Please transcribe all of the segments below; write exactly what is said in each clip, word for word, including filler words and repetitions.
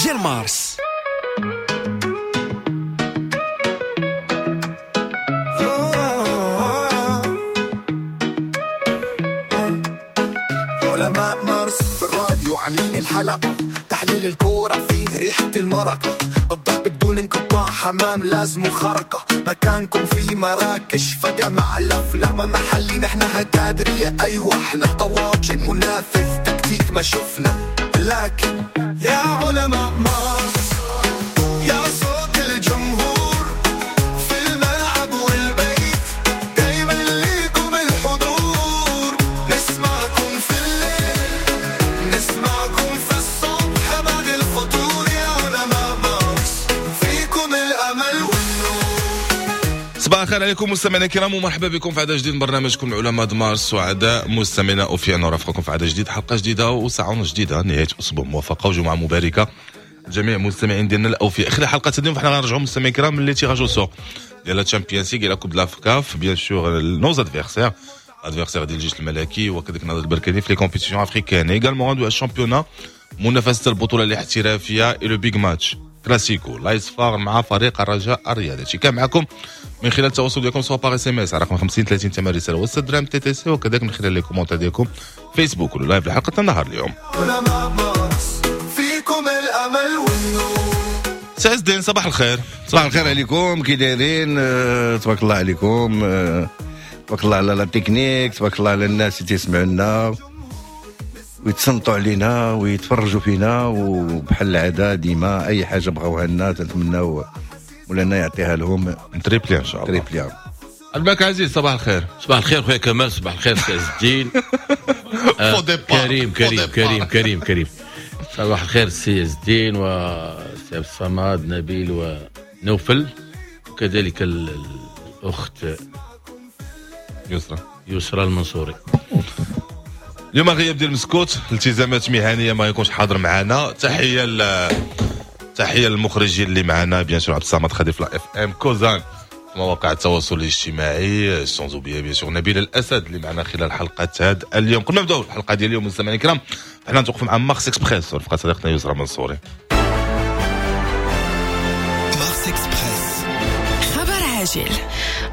ديال مارس. علماء مارس في الراديو عاملين الحلقة، تحليل الكورة فيه ريحة المرقة، الضرب بدون انقطاع، حمام لازم خرقة، مكانكم في مراكش فجأة مع الأفلام محلي، نحن هتادرية أيوة احنا طواجن منافس تكتيك ما شفنا، لكن يا علماء مارس يا صوت الجمهور في الملعب والبيت، دايما ليكم الحضور، نسمعكم في الليل نسمعكم في الصبح بعد الفطور، يا علماء مارس فيكم الأمل والنور. صباح الخير عليكم مستمعينا الكرام، ومرحبا بكم في عدد جديد من برنامجكم علماء مارس. سعداء مستمعينا اوفياء نرافقكم في عدد جديد، حلقة جديدة وساعة جديده، نهاية اسبوع موفقة وجمعه مباركة جميع المستمعين ديالنا الاوفياء. خلال حلقة اليوم فحنا غنرجعوا مستمعين الكرام les tirages au sort ديال la Champions League la Coupe de la CAF، bien sûr nos adversaires adversaires ديال الجيش الملكي وكذلك النهضة البركاني في les compétitions africaines، également غندوي ال championnat، منافسه البطولة الاحترافية، le big match كلاسيكو l'AS FAR مع فريق الرجاء الرياضي. هادشي كان معكم من خلال التواصل ديالكم سواء par SMS على رقم خمسين ثلاثين ثمن رسالة وستة درهم TTC، وكذلك من خلال les commentaires ديالكم فيسبوك ولا live لحلقة النهار اليوم. علماء مارس فيكم الأمل والنور. سي عز الدين صباح الخير. صباح الخير عليكم، كي دايرين؟ آه، تبارك الله عليكم، آه، تبارك الله على la technique، تبارك الله على الناس اللي تيسمعوا لنا ويتصنتوا علينا ويتفرجوا فينا، وبحال العادة ديما اي حاجة بغاوها لنا تنتمناو مولانا يعطيها لهم triplé ان شاء الله. triplé. الباك عزيز صباح الخير. صباح الخير خويا كمال، صباح الخير سي عز الدين. آه، faux départ. كريم faux كريم départ. كريم كريم كريم. صباح الخير سي عز الدين وسي عبد الصمد نبيل ونوفل، وكذلك ال- الاخت يسرا يسرى المنصوري. اليوم غياب ديال مسكوت، التزامات مهنية ما يكونش حاضر معنا. تحية ل تحية للمخرجين اللي معنا، bien sûr عبد الصمد خديف la FM كوزان في مواقع التواصل الاجتماعي، sans oublier bien sûr نبيل الاسد اللي معنا خلال حلقة هذا اليوم. قبل ما نبداو الحلقة ديال اليوم مستمعينا الكرام، حنا نتوقف مع مارس اكسبريس ورفقه صديقتنا يسرى منصوري. مارس اكسبريس، خبر عاجل.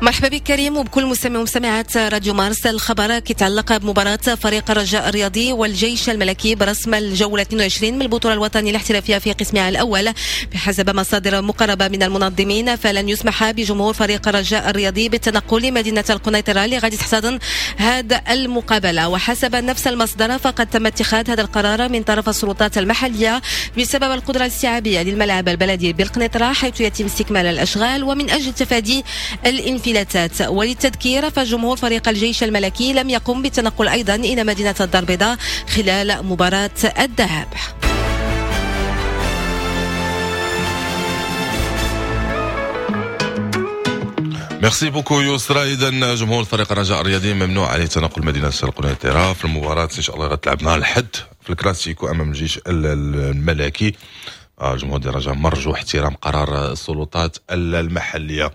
مرحبا بك كريم وبكل مستمع ومستمعات راديو مارس. الخبر كيتعلق بمباراة فريق الرجاء الرياضي والجيش الملكي برسم الجولة اثنين وعشرين من البطولة الوطنية الاحترافية في قسمها الأول. بحسب مصادر مقربة من المنظمين فلن يسمح بجمهور فريق الرجاء الرياضي بالتنقل لمدينة القنيطرة اللي غادي تحتضن هذا المقابلة. وحسب نفس المصدر فقد تم اتخاذ هذا القرار من طرف السلطات المحلية بسبب القدرة الاستيعابية للملعب البلدي بالقنيطرة حيث يتم استكمال الأشغال ومن أجل تفادي الانفلاتات. وللتذكير فجمهور فريق الجيش الملكي لم يقم بالتنقل أيضا إلى مدينة الدار البيضاء خلال مباراة الذهاب. merci beaucoup يسرى. اذا جمهور فريق الرجاء الرياضي ممنوع عليه تنقل مدينة القنيطره في المباراة ان شاء الله غتلعب نهار الحد في الكلاسيكو امام الجيش الملكي. جمهور ديال الرجاء مرجو احترام قرار السلطات المحلية.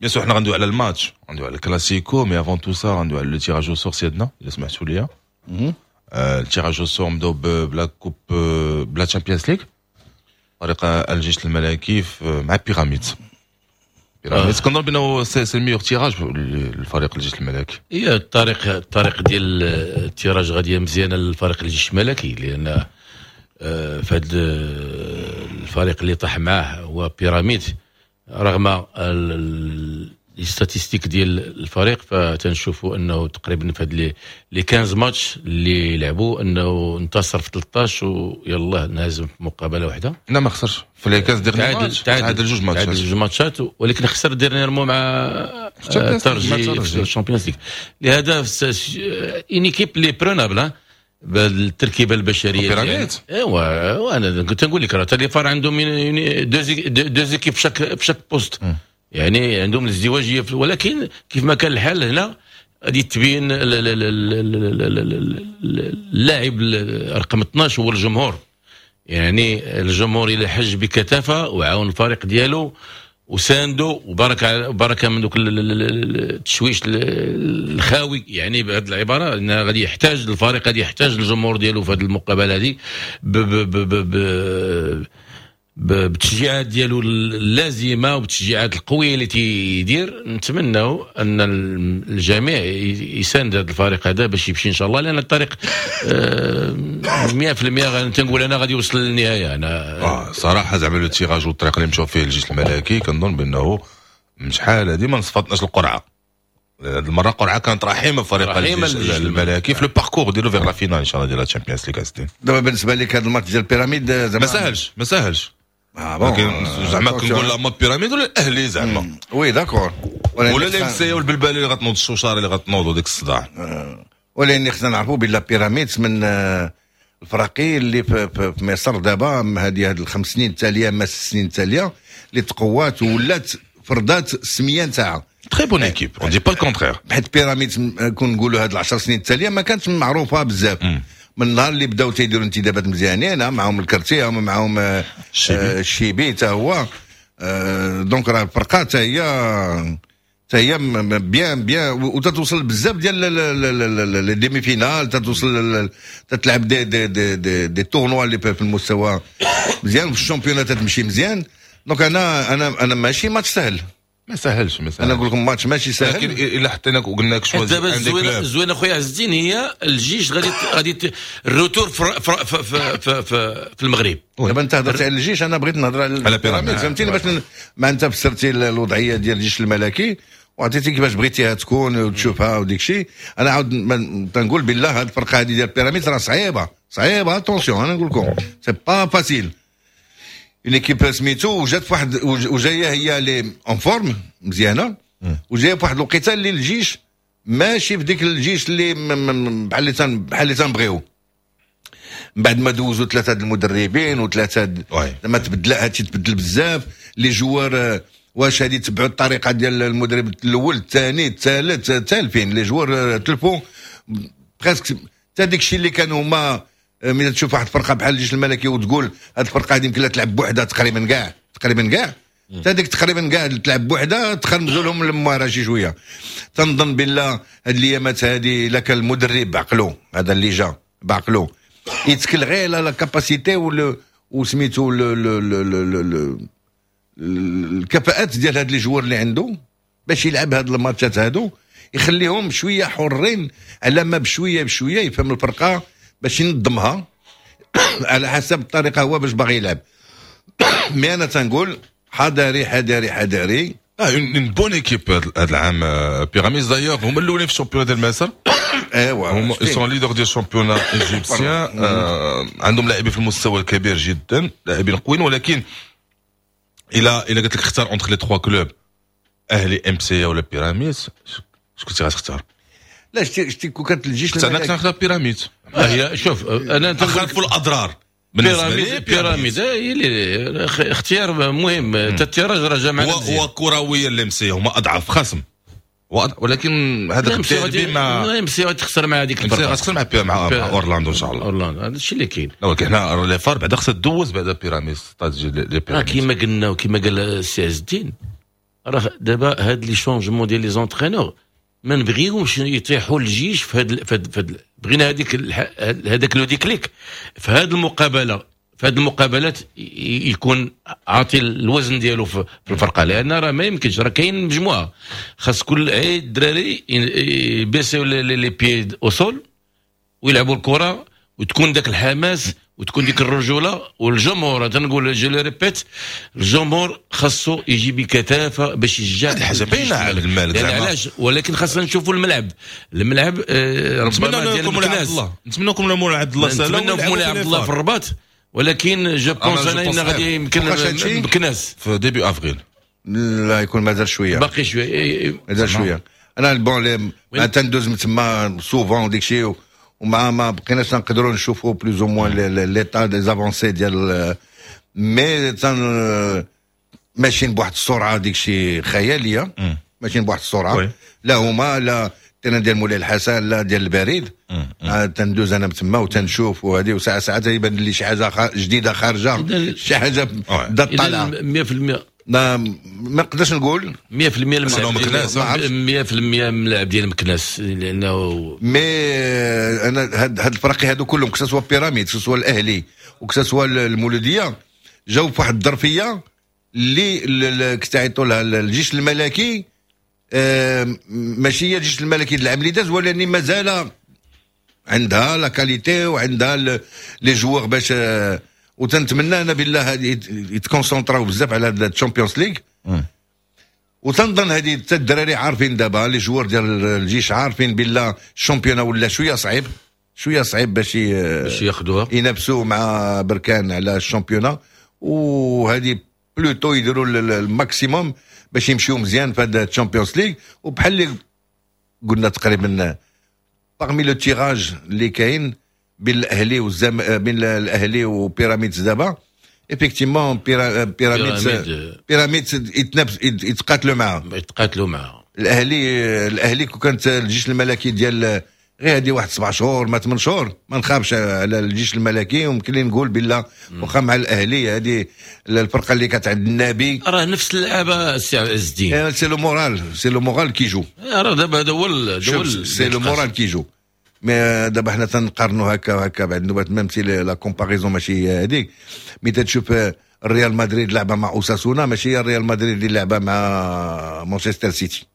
bien sûr حنا غندويو على الماتش، غندويو على الكلاسيكو، mais avant tout ça غندويو على le tirage au sort سيادنا الا سمحتوا لي. ال tirage au sort نبداو ب la Coupe ب la Champions League، فريق الجيش الملكي مع بيراميدز. بيراميدز كنظن بانه c'est le meilleur tirage للفريق الجيش الملكي. هي الطريق الطريق ديال ال tirage غادية مزيانه للفريق الجيش الملكي، لان في هذا الفريق اللي طاح معاه هو بيراميد، رغم les statistiques ديال الفريق فتنشوفوا انه تقريبا في هاد les خمسطاش ماتش اللي لعبوا انه انتصر في ثلاثطاش ويلاه انهزم في مقابله واحدة. لا ما خسرش في les خمسطاش derniers matchs، تعادل جوج ماتشات، تعادل جوج ماتشات، ولكن خسر dernièrement مع الترجي في ال Champions League. لهذا une équipe اللي prenable بالتركيبة البشرية. بيراميد ايوا وانا كنت نقول لك راه les FAR عندهم deux équipes في chaque في chaque poste، يعني عندهم الازدواجيه، ولكن كيف ما كان الحال هنا غادي تبين اللاعب رقم اثناش هو الجمهور. يعني الجمهور الى حج بكثافة وعاون الفريق ديالو وساندو وبركة بركة من دوك التشويش الخاوي، يعني بهذه العبارة ان غادي يحتاج الفريق، غادي يحتاج الجمهور ديالو في هذه المقابلة هذه ب ب ب ب بالتشجيعات ديالو اللازمة وبالتشجيعات القوية اللي تيدير. نتمنوا ان الجميع يساند هذا الفريق هذا باش يمشي ان شاء الله، لان الطريق مية في المية تنقول انا غادي يوصل للنهاية. انا آه صراحة زعما le tirage والطريق اللي مشاو فيه الجيش الملكي كنظن بانه من شحال هذه ما نصفطناش القرعة. هذه المرة قرعه كانت رحيمه فريق الجيش الملكي في le parcours ديالو vers la finale ان شاء الله ديال الشامبيونز ليغ. دابا بالنسبة لك هذا الماتش ديال بيراميد زعما ما ساهلش، ما ساهلش. آه bon زعما كنقول لا ما بيراميد ولا الاهلي زعما oui d'accord، ولا ال MC والبلبالي اللي غتنوض، الشوشاره اللي غتنوض وديك الصداع. ولكن خصنا نعرفوا بلا بيراميدز من الفراقي اللي في, في, في مصر دابا هذه هاد الخمس سنين التالية ما ست سنين التالية اللي تقوات وولات فرضات السمية نتاعها. très bonne équipe، on dit pas le contraire. حيت بيراميدز كون نقولوا هاد العشر سنين التالية ما كانتش معروفة بزاف. من النهار اللي بداو تيديروا انتدابات مزيانين معاهم الكرتي معاهم الشيبي حتى هو، donc راه الفرقة حتى هي حتى هي bien bien وتتوصل بزاف ديال les demi-finales، تتوصل تتلعب des des des des, des tournois اللي في المستوى مزيان، في ال championnat تتمشي مزيان. donc انا انا انا ماشي ماتش سهل، ما سهلش ما سهلش. انا نقول لكم ماتش ماشي سهل، لكن الا حطينا وقلنا لك choisis دابا الزوينة الزوينة خويا عز الدين هي الجيش غادي غادي ال retour في في في, في, في, في المغرب. دابا انت هضرتي على الجيش، انا بغيت نهضر على بيراميد، فهمتيني؟ باش ما انت فسرتي الوضعية ديال الجيش الملكي وعطيتي كيفاش بغيتيها تكون وتشوفها وديك الشيء. انا عاود تنقول بالله هذه الفرقة هذه ديال بيراميد راه صعيبة صعيبة، attention انا نقول لكم c'est pas facile. une équipe سميتو وجات في واحد وجاية هي لي en forme مزيانه، وجاية في واحد الوقيته اللي الجيش ماشي في ديك الجيش اللي بحال اللي بحال اللي تنبغيو. من بعد ما دوزوا ثلاثة المدربين وثلاثة ما تبدل هادشي تبدل بزاف les joueurs، واش هادي تبعوا الطريقة ديال المدرب الاول الثاني الثالث تالفين les joueurs تلفوا presque حتى داك الشيء اللي كانوا هما. ملي تشوف واحد الفرقة بحال الجيش الملكي وتقول هاد الفرقة هادي يمكن لها تلعب بوحدها تقريبا كاع تقريبا كاع حتى ديك تقريبا كاع تلعب بوحدها تخرمزوا لهم المواره شي شوية. تنظن بالله هاد الايامات هادي الا كان المدرب بعقلو هذا اللي جا بعقلو يتكل غير على la capacité وسميتو الكفاءات ديال هاد les joueurs اللي عنده باش يلعب هاد الماتشات هادو، يخليهم شوية حرين على ما بشوية بشوية يفهم الفرقة باش ينظمها على حسب الطريقة هو باش باغي يلعب. mais انا تنقول حذاري حذاري حذاري. اه une bonne équipe هذا العام بيراميدز، d'ailleurs هما الاولين في ال championnat ديال مصر. ايوا هما sont leaders ديال ال championnat égyptien، عندهم لاعبين في المستوى الكبير جدا، لاعبين قويين. ولكن الى الى قلت لك اختار entre les trois clubs اهلي MC ولا بيراميدز، شكون كنتي غتختار؟ لا شتي شتي كون كانت الجيش انا كنت نختار بيراميدز. هي شوف انا خلفوا الاضرار. بيراميد بيراميد هي اللي اختيار مهم. حتى ال tirage راه جا معنا. هو هو كرويا ال MC هما اضعف خصم، ولكن هذاك الديربي ما MC تخسر مع هذيك الفرقة، غتخسر مع مع, مع اورلاندو ان شاء الله. اورلاندو هذا الشيء اللي كاين. لا ولكن حنا les FAR بعدا خصها دوز بعدا بيراميدز les بيراميدز. كيما قلنا وكيما قال السي عز الدين، راه دابا هاد les changements ديال les entraîneurs ما نبغيهمش يطيحوا الجيش في هاد في هاد بغينا هذيك هذاك le déclic في هذه المقابله، في هذه المقابلات يكون عاطي الوزن ديالو في الفرقه، لان راه ما يمكنش راه كاين مجموعة خاص كل عيد الدراري يبيسيو les pieds au sol ويلعبوا الكره وتكون ذاك الحماس وتكون ديك الرجولة. والجمهور تنقول je le répète، الجمهور خاصو يجي بكثافة باش يشجع. هذه حاجة باينة على المالك. زعما علاش؟ ولكن خاصنا نشوفوا الملعب الملعب آه ربما ديال مولاي عبد الله، نتمنى لكم مولاي عبد الله. نتمنى مولاي عبد الله في الرباط، ولكن je pense انا ان غادي يمكن بكناس في début avril. لا يكون مازال شويه. باقي شويه. مازال شويه. انا bon تندوز من تما souvent ديك الشيء ومع ما بقيناش نقدروا نشوفوا plus ou moins l'état des avancées ديال mais تن ماشيين بواحد السرعة ديك الشيء خياليه، ماشيين بواحد السرعة لا هما لا terrain ديال مولاي الحسن لا ديال البريد. آه تندوز انا تما وتنشوف وهذه وساعة ساعات يبان لي شي حاجة جديدة خارجه، شي حاجة بدات طالعه. مية في المية. ما ما نقدرش نقول. مية في المية الملعب ديال مية في المية الملعب ديال مكناس لانه mais انا هاد هاد الفرق هادو كلهم، que ce soit بيراميد، que ce soit الاهلي و que ce soit المولوديه. جاو في واحد الظرفية اللي كتعيطوا لها الجيش الملكي، آه ماشي هي الجيش الملكي العام اللي داز، ولكن مازال عندها la qualité وعندها les joueurs باش آه وتنتمنى انا بالله يتكونسونطراو بزاف على هاد ال Champions League. وتنظن هذه حتى الدراري عارفين دابا، les joueurs ديال الجيش عارفين بالله ال championnat ولا شوية صعيب، شوية صعيب باش باش ياخذوها، ينافسوا مع بركان على ال championnat، وهذه plutôt يديروا ال maximum باش يمشيو مزيان في هذا ال Champions League. وبحال اللي قلنا تقريبا parmi le tirage اللي كاين بين الاهلي والزم بين الاهلي وبيراميدز دابا، effectivement بيراميدز بيراميدز يتنافس، يتقاتلوا معاه. يتقاتلوا معاه. الاهلي الاهلي كون كانت الجيش الملكي ديال غير هذه واحد سبع شهور ما ثمان شهور، ما نخافش على الجيش الملكي، وممكن لي نقول بالله واخا مع الاهلي هذه الفرقة اللي كانت عند النبي. راه نفس اللعابه السي عز الدين. c'est le moral، c'est le moral qui joue. راه دابا هذا هو. c'est le moral qui joue. mais دابا حنا تنقارنوا هكا وهكا بعد النوبات، même si la comparaison ماشي هي هذيك، mais تشوف الريال مدريد لعبه مع اوساسونا ماشي هي الريال مدريد اللي لعبه مع مانشستر سيتي،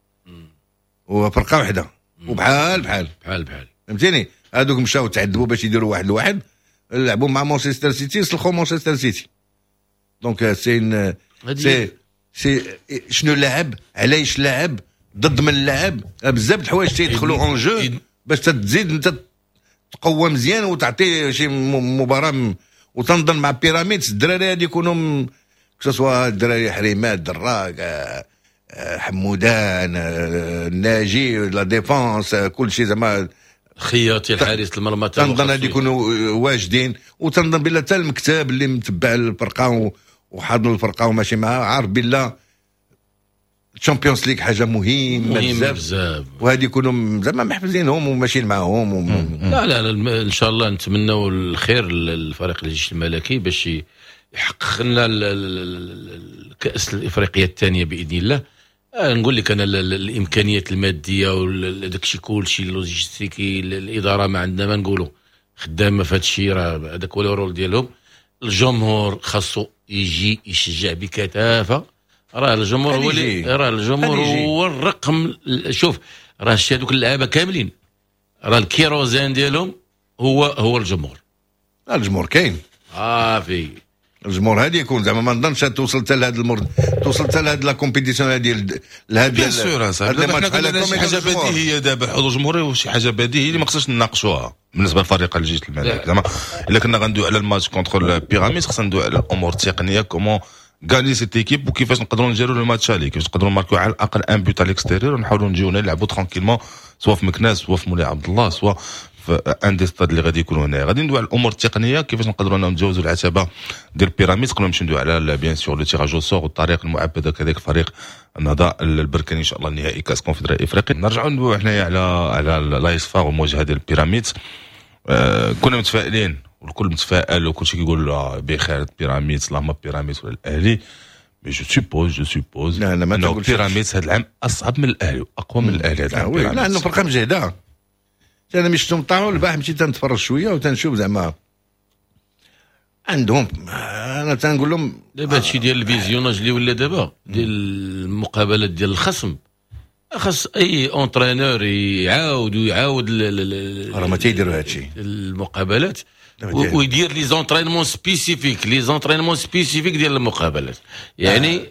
وفرقه واحدة وبحال بحال. بحال بحال. فهمتيني؟ هذوك مشاو تعذبوا باش يديروا واحد لواحد، لعبوا مع مانشستر سيتي، سلخوا مانشستر سيتي. donc c'est c'est c'est شنو لعب، علاش لعب، ضد من لعب، بزاف د الحوايج تيدخلوا en jeu باش تزيد انت تقوى مزيان وتعطي شي مباراه. وتنظن مع بيراميدز الدراري هادي يكونوا، que ce soit الدراري حريمات، دراك، آه، آه، حمودان، آه، الناجي، la défense، كل شيء زعما. خياطي الحارس المرمى. تنظن هادي يكونوا واجدين، وتنظن بلا حتى المكتب اللي متبع الفرقة وحاضن الفرقة وماشي معاه عارف بلا Champions League حاجة مهمة مهمة بزاف، وهذه يكونوا زعما محفزينهم وماشيين معاهم وم... لا لا لا، ان شاء الله نتمنوا الخير للفريق الجيش الملكي باش يحقق لنا الكاس الافريقية الثانية باذن الله. آه، نقول لك انا الامكانيات المادية وداك الشيء كلشي اللوجيستيكي، الادارة ما عندنا ما نقولوا، خدامه في هذا الشيء، راه هذاك هو ال rôle ديالهم. الجمهور خاصو يجي يشجع بكثافه، راه الجمهور هو اللي راه الجمهور هو الرقم. شوف راه شي هذوك اللعابه كاملين راه الكيروزين ديالهم هو هو الجمهور. الجمهور كاين. صافي. الجمهور هذه يكون زعما ما نظنش توصل حتى لهذا المر توصل حتى لهاد la compétition هذه لهاد. bien sûr صاحبي، شي حاجة بديهية دابا، الحضور الجمهوري وشي حاجة بديهية اللي ما خصناش نناقشوها بالنسبة لفريق الجيش الملكي. زعما الا كنا غندوي على ال match contre بيراميدز خصنا ندوي على الامور التقنيه، comment gagner cette équipe، وكيفاش نقدروا نجيروا le match aller، كيفاش نقدروا نماركو على الاقل un but à l'extérieur ونحاولوا نجيو نلعبوا tranquillement، سواء في مكناس، سواء في مولاي عبد الله، سواء في un des stades اللي غادي يكونوا هنا. غادي ندوي على الامور التقنيه، كيفاش نقدروا نتجاوزوا العتبة ديال بيراميدز قبل ما نمشيو ندوي على bien sûr le tirage au sort والطريق المعبده كذلك فريق النهضة البركاني ان شاء الله نهائي كاس كونفدراليه افريقيا. نرجعوا ندويو حنايا على على l'AS FAR والمواجهة ديال بيراميدز. آه كنا متفائلين والكل متفائل وكل شيء كيقول بخير بيراميدز، اللهم بيراميدز ولا الاهلي، mais je suppose je suppose لا لا ما انه بيراميدز هذا العام اصعب من الاهلي واقوى من الاهلي هذا العام. لا، لانه فرقه مجهده. انا ملي شفتهم طلعوا البارح مشيت تنتفرج شوية وتنشوف زعما عندهم، انا تنقول لهم دابا هادشي ديال ال visionnage اللي ولا دابا ديال المقابلات ديال الخصم، خاص اي entraîneur يعاود ويعاود. راه ما تيديروا هادشي. المقابلات ويدير les entraînements spécifiques، les entraînements spécifiques ديال المقابلات يعني.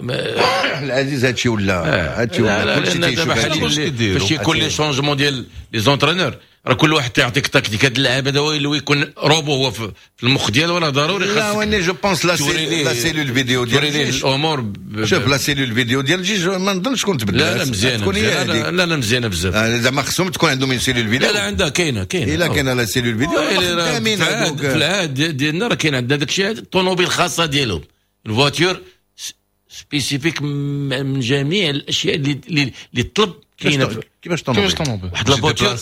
آه. العزيز هادشي ولا هادشي ولا كلشي تيشوف فاش يكون les changements ديال les entraîneurs راه كل واحد تيعطيك تكتيك. هاد اللاعب هذا هو اللي يكون روبو هو في المخ ديالو، راه ضروري خاص. لا واني je pense la la cellule vidéo ديال الجيش الامور. شوف la cellule vidéo ديال الجيش ما نظنش تكون تبدلت. لا لا مزيانه، لا لا مزيانه بزاف. زعما خصهم تكون عندهم une cellule vidéo. لا لا عندها، كاينه كاينه. الا كاينه la cellule vidéo. في العهد ديالنا راه كاين عندنا داك الشيء، الطوموبيل الخاصة ديالهم، ال voiture spécifique من جميع الاشياء اللي اللي طلب كاينه. كيفاش طوموبيل؟ كيفاش طوموبيل؟ واحد la voiture،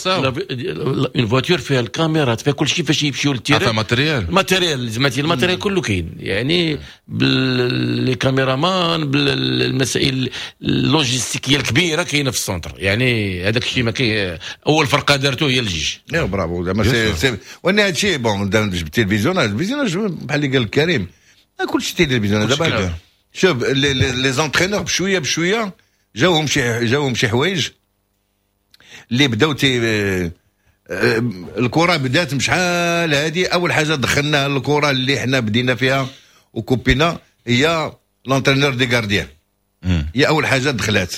une voiture فيها الكاميرات، فيها كل شيء فاش يمشيو لل terrain. فيها matériel. matériel زعما ال matériel كله كاين، يعني les caméramans، بالمسائل اللوجيستيكيه الكبيرة كاينه في ال centre. يعني هذاك الشيء ما كاين، اول فرقه دارته هي الجيش. يا برافو، زعما c'est c'est وان هذا الشيء bon جبتي ال visionnage، ال visionnage بحال اللي قال كريم. كلشي تيدير visionnage. دابا شوف les entraîneurs بشوية بشوية جاوهم شي جاوهم شي حوايج اللي بداو تي الكره بدات بشحال هادي. اول حاجة دخلناها الكره اللي حنا بدينا فيها وكوبينا هي l'entraîneur des gardiens، هي اول حاجة دخلات،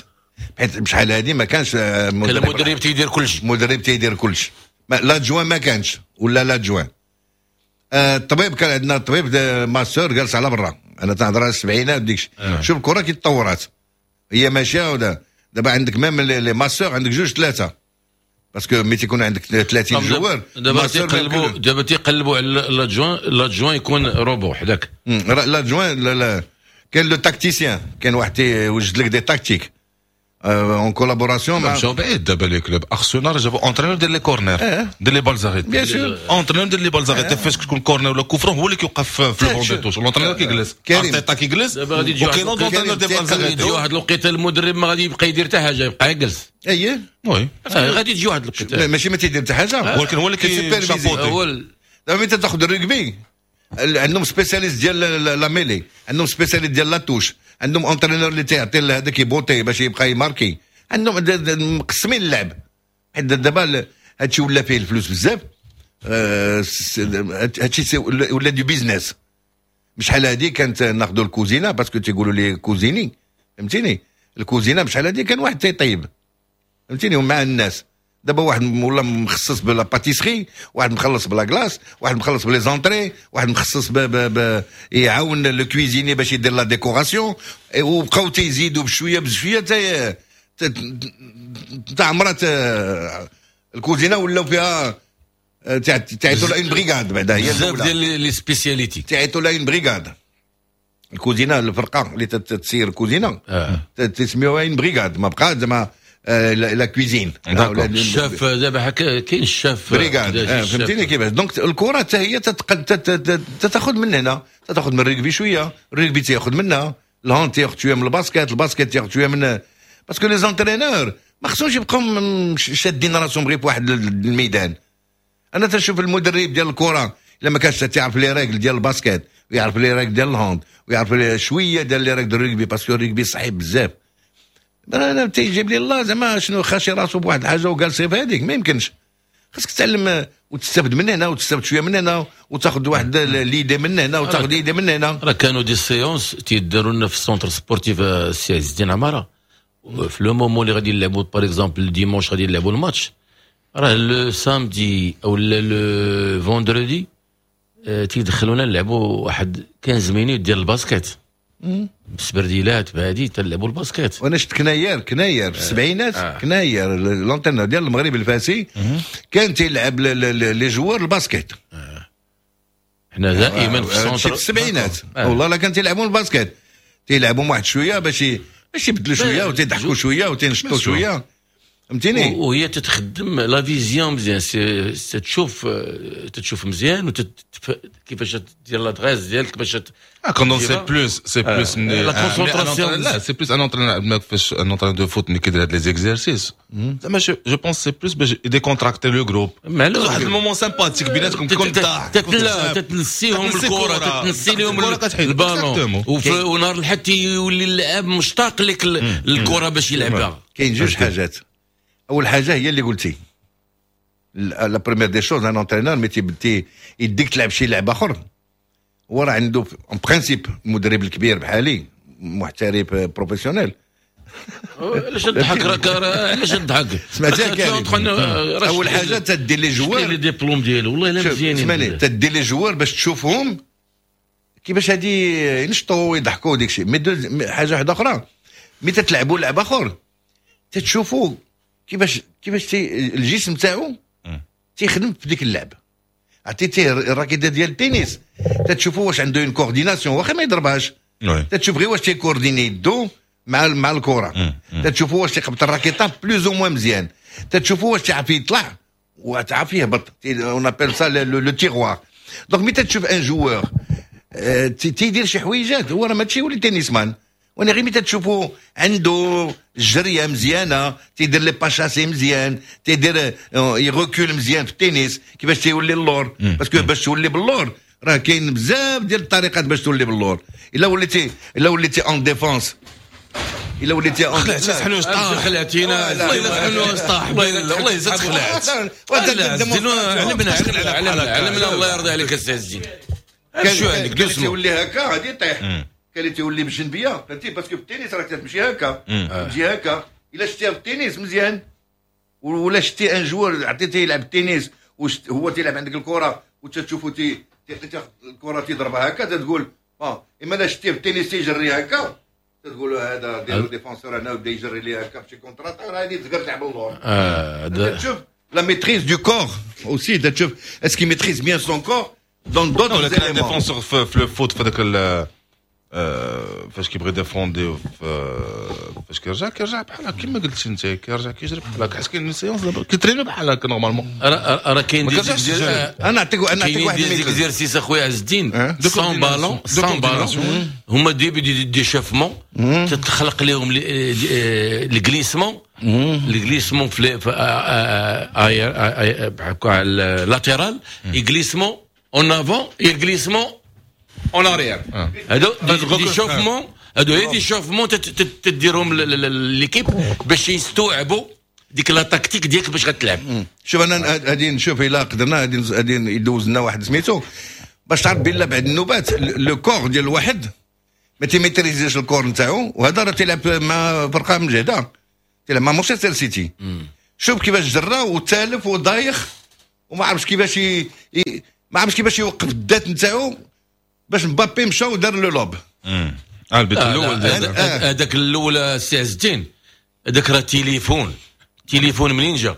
حيت بشحال هادي ما كانش كان المدرب تيدير كلشي، المدرب تيدير كلشي، l'adjoint ما كانش ولا l'adjoint. آه الطبيب كان عندنا الطبيب masseur جالس على برا. انا تنهضر على السبعينات ديك. آه. شوف الكره كي تطورات هي ماشية. دابا عندك même les masseurs عندك جوج ثلاثة، parce que ملي تيكون عندك ثلاثين joueurs. دابا تيقلبوا دابا تيقلبوا على l'adjoint، l'adjoint يكون روبو حداك. l'adjoint لا لا كاين le tacticien، كاين واحد تيوجد لك des tactiques en collaboration مع مشاو بعيد دابا les clubs. ارسنال جابوا entraîneur ديال les corners، ديال les balles arrêtées. bien sûr entraîneur ديال les balles arrêtées، فاش كتكون corner ولا coup franc هو اللي كيوقف في ال banc de touche، l'entraîneur كيجلس، ارتيتا كيجلس، وكاين entraîneur ديال balles arrêtées. تجي واحد الوقيته المدرب ما غادي يبقى يدير حتى حاجة، يبقى يجلس. اييه oui غادي تجي واحد الوقيته ماشي ما تيدير حتى حاجة، ولكن هو اللي كي chapeauter. دابا ملي تاخذ الرugby عندهم spécialiste ديال la mêlée، عندهم spécialiste ديال la touche، عندهم entraîneur اللي تيعطي هذاك يبوطي باش يبقى يماركي، عندهم مقسمين اللعب. حيت دابا هادشي ولا فيه الفلوس بزاف، هادشي ولا du business. بشحال هادي كانت ناخذوا الكوزينة parce que تيقولوا لي cuisinier، فهمتيني؟ الكوزينة بشحال هادي كان واحد تيطيب، فهمتيني، ومع الناس. دابا واحد ولا مخصص ب la pâtisserie، واحد مخلص ب la glace، واحد مخلص ب les entrées، واحد مخصص ب ب ب يعاون le cuisinier باش يدير la décoration، وبقاو تيزيدوا بشوية بشوية تا تعمرات الكوزينة، ولاو فيها تعيطوا لها une brigade. بعدا هي بزاف ديال les spécialités تعيطوا لها une brigade. الكوزينة الفرقة اللي تسير الكوزينة تسميوها une brigade، ما بقى زعما la cuisine. ال chef دابا كاين ال chef brigade، فهمتيني كيفاش؟ donc الكره حتى هي تتاخذ من هنا، تاخذ من الريغبي شوية، الريغبي تياخذ منها، ال hand تياخذ شوية من ال basket، ال basket تياخذ شوية من، parce que les entraîneurs ما خصهمش يبقاو شادين راسهم غير في واحد الميدان. انا تنشوف المدرب ديال الكره الا ما كانش تيعرف les règles ديال ال basket ويعرف les règles ديال ال hand ويعرف شوية ديال les règles ديال ال rugby، parce que ال rugby صعيب بزاف. انا تيجيب لي الله زعما شنو خاشي راسو بواحد الحاجة وجالس في هذيك، ما يمكنش. خاصك تتعلم وتستافد من هنا وتستافد شوية من هنا وتاخذ واحد l'idée من هنا وتاخذ l'idée من هنا. راه كانوا des séances تيداروا لنا في ال centre sportif السي عز الدين عمارة، في le moment اللي غادي نلعبوا par exemple dimanche غادي نلعبوا الماتش، راه le samedi او le vendredi تيدخلونا نلعبوا واحد quinze minutes ديال ال basket بسبرديلات بهادي تلعبوا ال basket. وانا شفت كناير كناير في السبعينات، آه. كناير l'entraîneur ديال المغرب الفاسي كان تيلعب les joueurs ال basket. آه. حنا دائما في ال centre في السبعينات آه. والله لا كان تيلعبوا ال basket، تيلعبوا واحد شوية باش باش يبدلوا شوية وتيضحكوا شوية وتينشطوا شوية، فهمتيني؟ وهي تتخدم la vision مزيان، تشوف تتشوف مزيان كيفاش دير l'adresse ديالك باش كوندون c'est plus c'est plus la concentration. لا c'est plus un entraîneur فاش un entraîneur de foot ملي كيدير هاد les exercices زعما je pense c'est plus باش décontracter le groupe، واحد ال moment sympathique بيناتكم كيكون ضحك، تتنسيهم الكره، تتنسي لهم البالون، ونهار الحد يولي اللاعب مشتاق لك الكره باش يلعبها. كاين جوج حاجات. اول حاجة هي اللي قلتي la première des choses، un entraîneur ملي تيبدي يديك تلعب شي لعب اخر، هو راه عنده en principe المدرب الكبير بحالي محترف professionnel. علاش تضحك؟ راك علاش تضحك؟ سمعتها كريم؟ اول حاجة تدي les joueurs les diplômes ديالو والله الا مزيانين. اسمعني، تدي les joueurs باش تشوفهم كيفاش هادي ينشطوا ويضحكوا ديك الشيء. mais حاجة واحدة اخرى، ملي تتلعبوا لعب اخر تتشوفوا كيفاش كيفاش الجسم تاعو تيخدم في ديك اللعب. عطيتيه ال raquette ديال التنس تتشوفوا واش عنده une coordination واخا ما يضربهاش، تتشوف غير واش تي coordonner يدو مع مع الكره، تتشوفوا واش تيقبط الراكيطه plus ou moins مزيان، تتشوفوا واش تعرف يطلع وتعرف يهبط، on appelle ça le tiroir. donc ملي تتشوف un joueur تيدير شي حويجات، هو راه ماشي يولي tennisman، وانا غير ملي تتشوفوا عنده الجريه مزيانه، تيدير les pas chassés مزيان، تيدير ي recule مزيان في التنس، كيفاش تيولي اللور، parce que باش تولي باللور راه كاين بزاف ديال الطريقات باش تولي باللور. الا وليتي الا وليتي en défense، الا وليتي en خلعتي حنوش طاح، خلعتينا والله الا حنوش طاح، والله الا تخلعت. علمنا علمنا الله يرضي عليك السي عز الدين. شو عندك دوسمون تولي هكا غادي يطيح، كان اللي تولي بالجنبيه فهمتي، parce que في التنس راك تمشي هكا تجي هكا. الا شتيها في التنس مزيان، ولا شتي un joueur عطيتيه يلعب التنس وهو تيلعب عندك الكره وتشوفو تي الكره تيضربها هكا تقول اه، اما لا شتيه في التنس تيجري هكا تقول هذا ديرو défenseur هنا وبدا يجري ليه هكا بشي contre-attaque، راه غادي تقدر تلعب اللور. اه تشوف la maîtrise du corps aussi، تشوف est-ce qu'il maîtrise bien son corps dans d'autres éléments. défenseur في le foot في هذاك فاش كيبغي défendre، فاش كيرجع كيرجع بحال هكا كيما قلتي انت، كيرجع كيجري بحال هكا، حيت كاين séance دابا كيترينو بحال هكا normalement. راه كاين des انا نعطيك انا نعطيك واحد exercice اخويا عز الدين، sans ballon sans ballon هما début d'échauffement تتخلق لهم ال glissement، ال glissement في latéral، glissement en avant، glissement en arrière. هادو d'échauffement، هادو هي d'échauffement تديرهم l'équipe باش يستوعبوا ديك la tactique ديالك باش غتلعب. شوف انا غادي نشوف الا قدرنا غادي يدوز لنا واحد سميتو باش تعرف بلا بعد النوبات le corps ديال الواحد ما تيميتريزيش ال corps نتاعو، وهذا راه تيلعب مع فرقه مجهده، تيلعب مع مانشستر سيتي. شوف كيفاش جرى وتالف وضايخ وما عرفش كيفاش ي... ما عرفش كيفاش يوقف الذات نتاعو باش مبابي مشى ودار le lob. امم البيت الاول هذاك الاول السي عز الدين، هذاك راه تليفون تليفون منين جا؟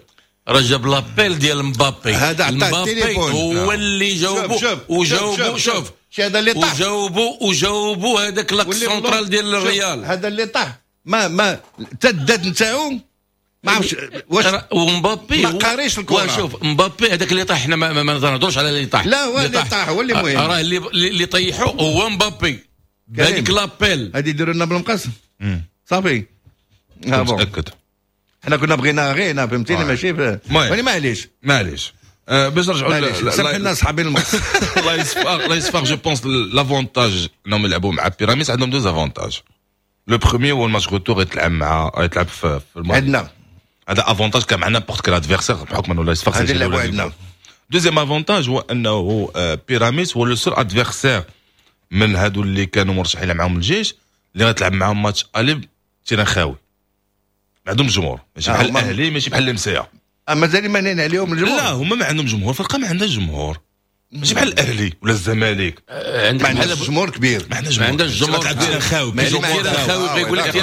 راه جاب l'appel ديال مبابي، هذا عطاه التليفون هو اللي جاوبو وجاوبو. شوف هذا اللي طاح وجاوبو وجاوبو هذاك l'axe central ديال الريال، هذا اللي طاح ما ما حتى الذات نتاعو ما عرفتش واش ومبابي ما قاريش الكره. شوف مبابي هذاك اللي طاح، حنا ما, ما نهضروش على اللي طاح، لا هو اللي طاح هو اللي مهم، راه اللي اللي طيحو هو مبابي بهذيك l'appel. هذه يديروا لنا بالمقص صافي. متاكد حنا كنا بغينا غير فهمتيني ماشي ولكن معليش معليش باش نرجعوا سامح لنا صحابي المقص. الله يسفر الله يسفر. je pense l'avantage انهم يلعبوا مع بيراميدز، عندهم deux avantages. le premier هو ال match retour يتلعب مع يتلعب في المغرب عندنا، هذا avantage كان مع n'importe quel adversaire بحكم انه لا يسفر. هذا اللي عندنا deuxième avantage هو انه بيراميدز هو le seul adversaire من هادو اللي كانوا مرشحين معاهم الجيش اللي غتلعب معاهم match aller terrain خاوي، ما عندهم جمهور، ماشي بحال الاهلي ماشي بحال المسيا. مازال مانعين عليهم الجمهور. لا هما ما عندهم جمهور، الفرقة ما عندهاش جمهور، ماشي بحال الاهلي ولا الزمالك. ما عندهاش جمهور كبير، ما عندهاش جمهور، ما عندهاش جمهور خاوي، خاوي يقول لك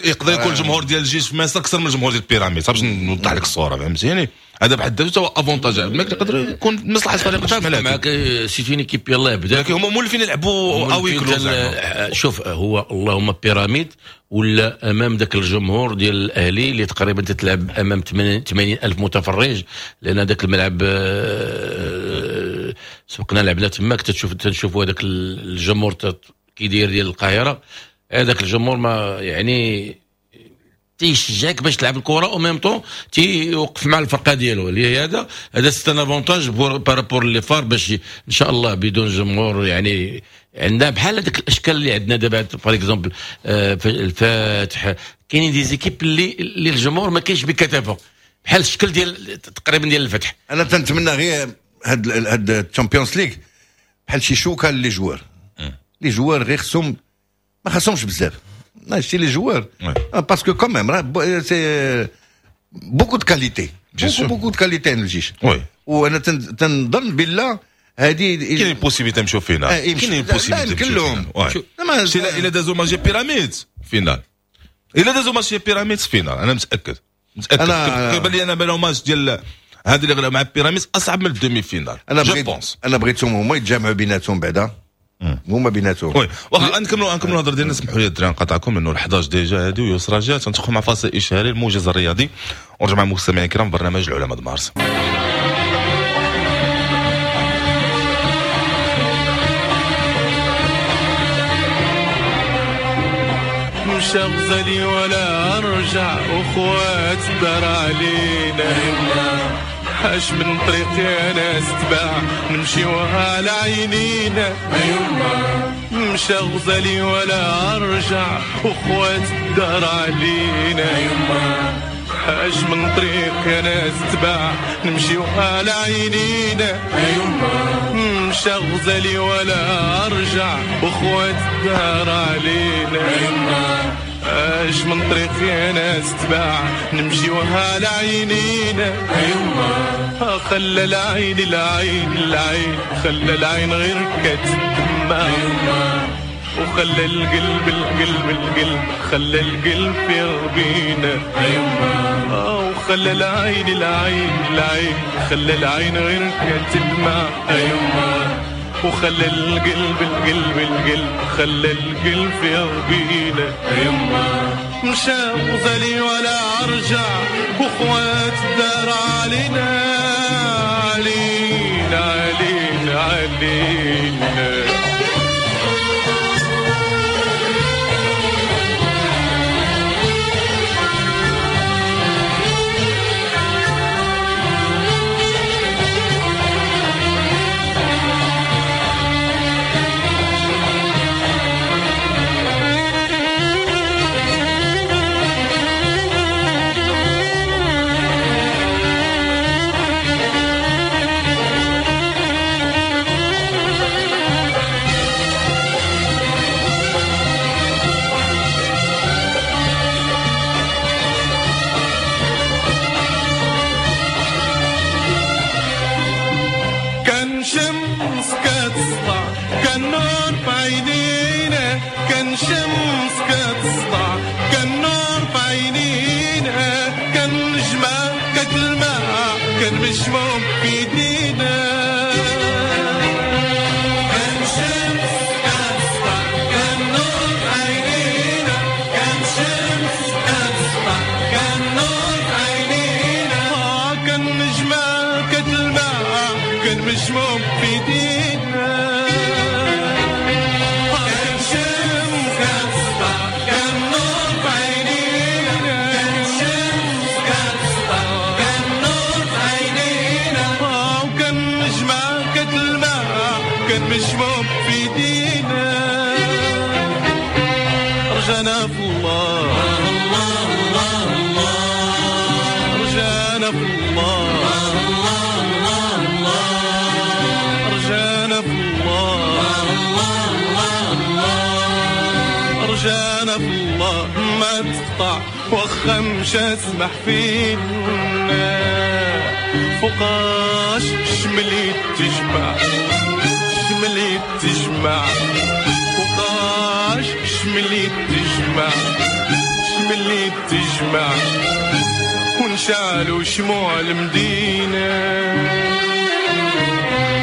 يقدر يكون الجمهور ديال الجيش في مصر اكثر من الجمهور ديال بيراميدز. باش نوضح لك الصورة فهمتيني، هذا بحد ذاته هو avantage ما يقدر يكون مصلحة فريق الجيش معاك. c'est une équipe يلاه بدا، ولكن هما مولفين يلعبوا à huis clos. شوف هو اللهم بيراميد ولا امام ذاك الجمهور ديال الاهلي اللي تقريبا تتلعب امام ثمانين ألف متفرج، لان هذاك الملعب سبقنا لعبنا تماك، تشوف تنشوفوا هذاك الجمهور كيداير ديال القاهرة، هذاك الجمهور ما يعني تيشجعك باش تلعب الكره au même temps تيوقف مع الفرقة ديالو. اللي هذا هذا c'est un avantage par rapport les FAR باش ان شاء الله بدون جمهور يعني عندنا بحال هذاك الاشكال اللي عندنا دابا par exemple الفاتح، كاينين des équipes اللي اللي الجمهور ما كاينش بكثافة بحال الشكل ديال تقريبا ديال الفتح. انا تنتمنى غير هاد هاد ال Champions League بحال شي شوكه les joueurs، les joueurs غير خصهم ما خصهمش بزاف ماشي les joueurs parce que quand même راه c'est beaucoup de qualité، beaucoup beaucoup de qualité عند الجيش. وانا تنظن بالله هذه كاين possibilité نمشيو finale، كاين possibilité كلهم. الا دازو ماتش بيراميدز finale، الا دازو ماتش بيراميدز finale انا متاكد متاكد. كيبان لي انا بالو ماتش ديال هذا اللي غلب مع بيراميدز اصعب من ال demi-finale. انا بغيت انا بغيتهم هما يتجمعوا بيناتهم بعدا، هما بيناتهم. oui واخا نكملوا نكملوا الهضرة ديالنا. سمحوا لي الدراري نقاطعكم لانه الحداش déjà هادي ويسرى جات. ندخلوا مع فاصل اشهاري الموجز الرياضي ونرجع مع المستمعين الكرام في برنامج العلماء د مارس. مش غزالي ولا ارجع اخوات دار علينا اش من طريق يا ناس تباع نمشيو على عينينا. مشى غزالي ولا ارجع وخوات الدار علينا. اش من طريق يا ناس تباع نمشيو على عينينا. مشى غزالي ولا ارجع وخوات الدار علينا. اش من طريق يا ناس تباع نمشيو على عينينا. خلى العين العين العين خلى العين غير كتدمع. وخلى القلب القلب القلب خلى القلب يغبينا. وخلى العين العين العين خلى العين غير كتدمع. وخلى القلب القلب القلب خلى القلب يغبينا. مشى غزالي ولا ارجع وخوات الدار علينا علينا علينا علينا. شمس كتسطع كان نور في عينينا، كان نجمة كتلمع كان مشموم في ايدينا. كان شمس كتسطع كان نور في عينينا، كان شمس كتسطع كان نور في عينينا، كان نجمة كتلمع كان مشموم في ايدينا. مشموم في دينا. رجعنا في الله الله الله الله، رجعنا في الله الله الله الله، رجعنا في الله الله الله الله، رجعنا في الله ما تقطع واخا مشى سمح فينا. فوقاش شملي تجمع شملي تجمع، فوقاش شملي تجمع شملي تجمع، ونشعلوا شموع المدينة.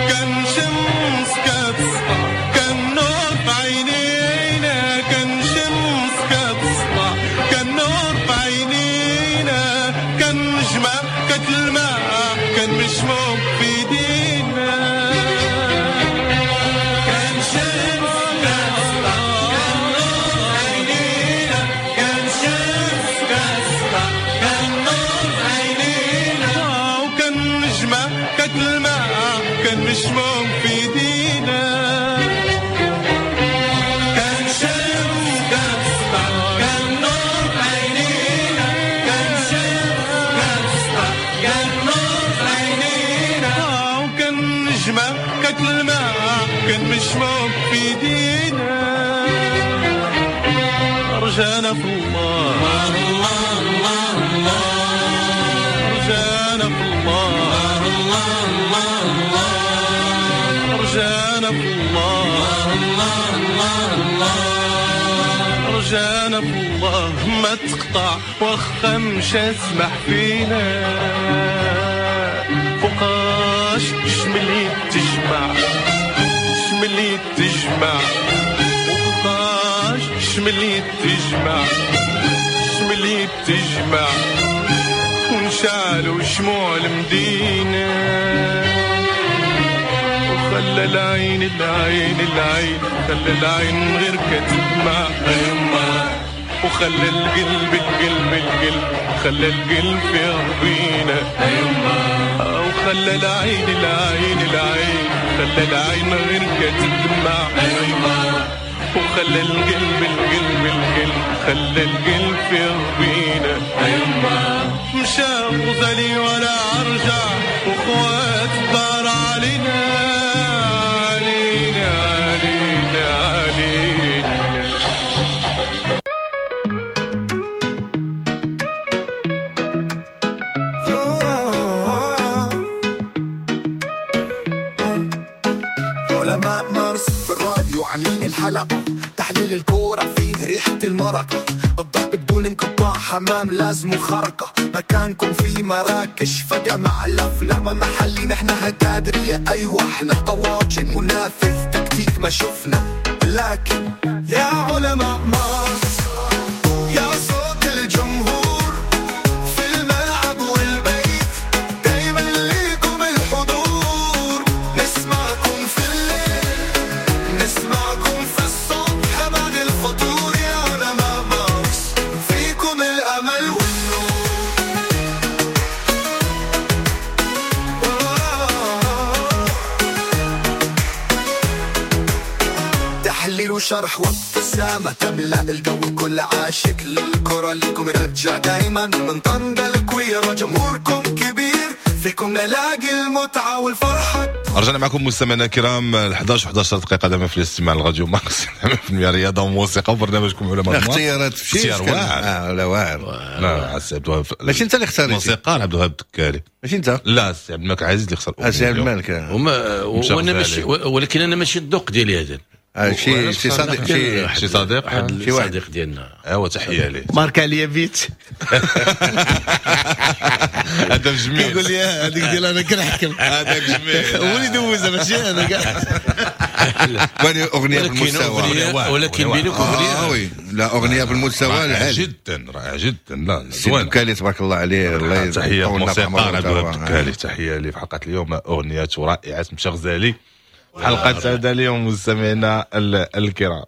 كان شمس كتسطع كان نور في عينينا، كان شمس كتسطع كان نور في عينينا، كان نجمة كتلمع كان مشموم في ايدينا. كان مشموم في دينا. كان شمس كتسطع كان نور في عينينا، كان شمس كتسطع كان نور في عينينا، وكان نجمة كتلمع كان مشموم في دينا. رجعنا في الله الله الله الله، رجعنا في الله الله الله الله، رجعنا في الله الله الله الله، رجعنا في الله ما تقطع واخا مشى سمح فينا. فوقاش شملي تجمع شملي تجمع، فوقاش شملي تجمع شملي تجمع، ونشعلوا شموع المدينة. وخلى العين العين العين خلى العين غير كتدمع، وخلى القلب القلب القلب خلى القلب يربينا. وخلى العين العين العين خلى العين غير كتدمع، وخلى القلب القلب القلب خلى القلب في غبينة. مشى غزالي ولا أرجع، وخوات الدار علينا علينا علينا علينا. علماء مارس في الراديو عاملين الحلقة، تحليل الكورة فيه ريحة المرق، الضرب بدون انقطاع، حمام لازم خرقة، مكانكم في مراكش فجأة مع الأفلام محلي، نحن هتادرية أيوة احنا طواجن، منافذ تكتيك ما شفنا، لكن يا علماء مارس يا صوت الجمهور في الملعب والبيت، دايما ليكم الحضور، نسمعكم في الليل نسمعكم في الصبح بعد الفطور، يا علماء مارس فيكم الأمل والنور. تحليل وشرح وابتسامة تملأ الجو، كل عاشق للكرة لكم يرجع دايما، من طنجة الكويرة جمهوركم كبير، فيكم نلاقي المتعة والفرحة. رجعنا معكم مستمعينا الكرام إحدى عشر وإحدى عشر دقيقة دائما في الاستماع للراديو مارس في الرياضة وموسيقى وبرنامجكم علماء مارس. اختيارات في شي اختيار واعر. اه لا واعر. لا السي عبد الوهاب ماشي انت اللي اختاريتي. الموسيقار عبد الوهاب الدكالي. ماشي انت. لا السي عبد الملك عزيز اللي اختار. السي عبد الملك. وما وانا ماشي، ولكن انا ماشي الذوق ديالي هذا. شي شي صديق شي شي صديق واحد شي واحد الصديق ديالنا. ايوا تحية ليه. ماركا ليا بيت. هذا جميل. يقول لي هذيك ديال انا كنحكم. هذاك جميل. هو اللي دوزها ماشي انا كاع. ولكن اغنية في المستوى. ولكن بينك اغنية. اه oui لا اغنية في المستوى العالي جدا، رائعة جدا. لا زوين الدكالي تبارك الله عليه، الله تحية الموسيقار عبد الوهاب الدكالي، تحية ليه في حلقة اليوم اغنية رائعة مشى غزالي. حلقة هذا اليوم مستمعينا الكرام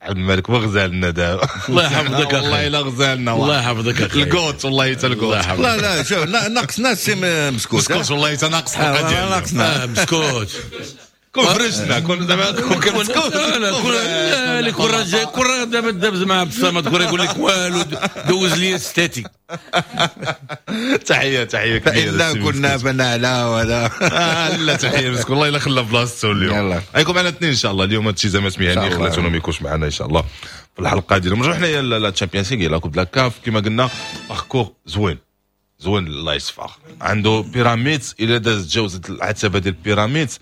عبد الملك وغزالنا دابا. الله يحفظك اخي، والله الا غزالنا، الله يحفظك اخي ال GOAT، والله حتى ال GOAT. لا لا شوف ناقصنا السي مسكوت. مسكوت والله حتى ناقص حلقة ديالنا. ناقصنا مسكوت. كون فرشنا كون زعما كون مسكوت. لا كون لا كون راه كون راه دابا دابز مع عبد الصمد كون يقول لك والو دوز لي ستاتي. تحية تحية كبيرة. فإلا كنا فنعلى ولا لا تحية مسكون والله الا خلى بلاصتو اليوم. غيكون معنا اثنين ان شاء الله اليوم. هادشي زعما مهني خلاتونا ما يكونش معنا ان شاء الله في الحلقة ديالهم. نرجعوا حنايا la Champions League la Coupe la CAF كما قلنا parcours زوين زوين الله يصفى. عنده بيراميدز الا داز تجاوزت العتبة ديال بيراميدز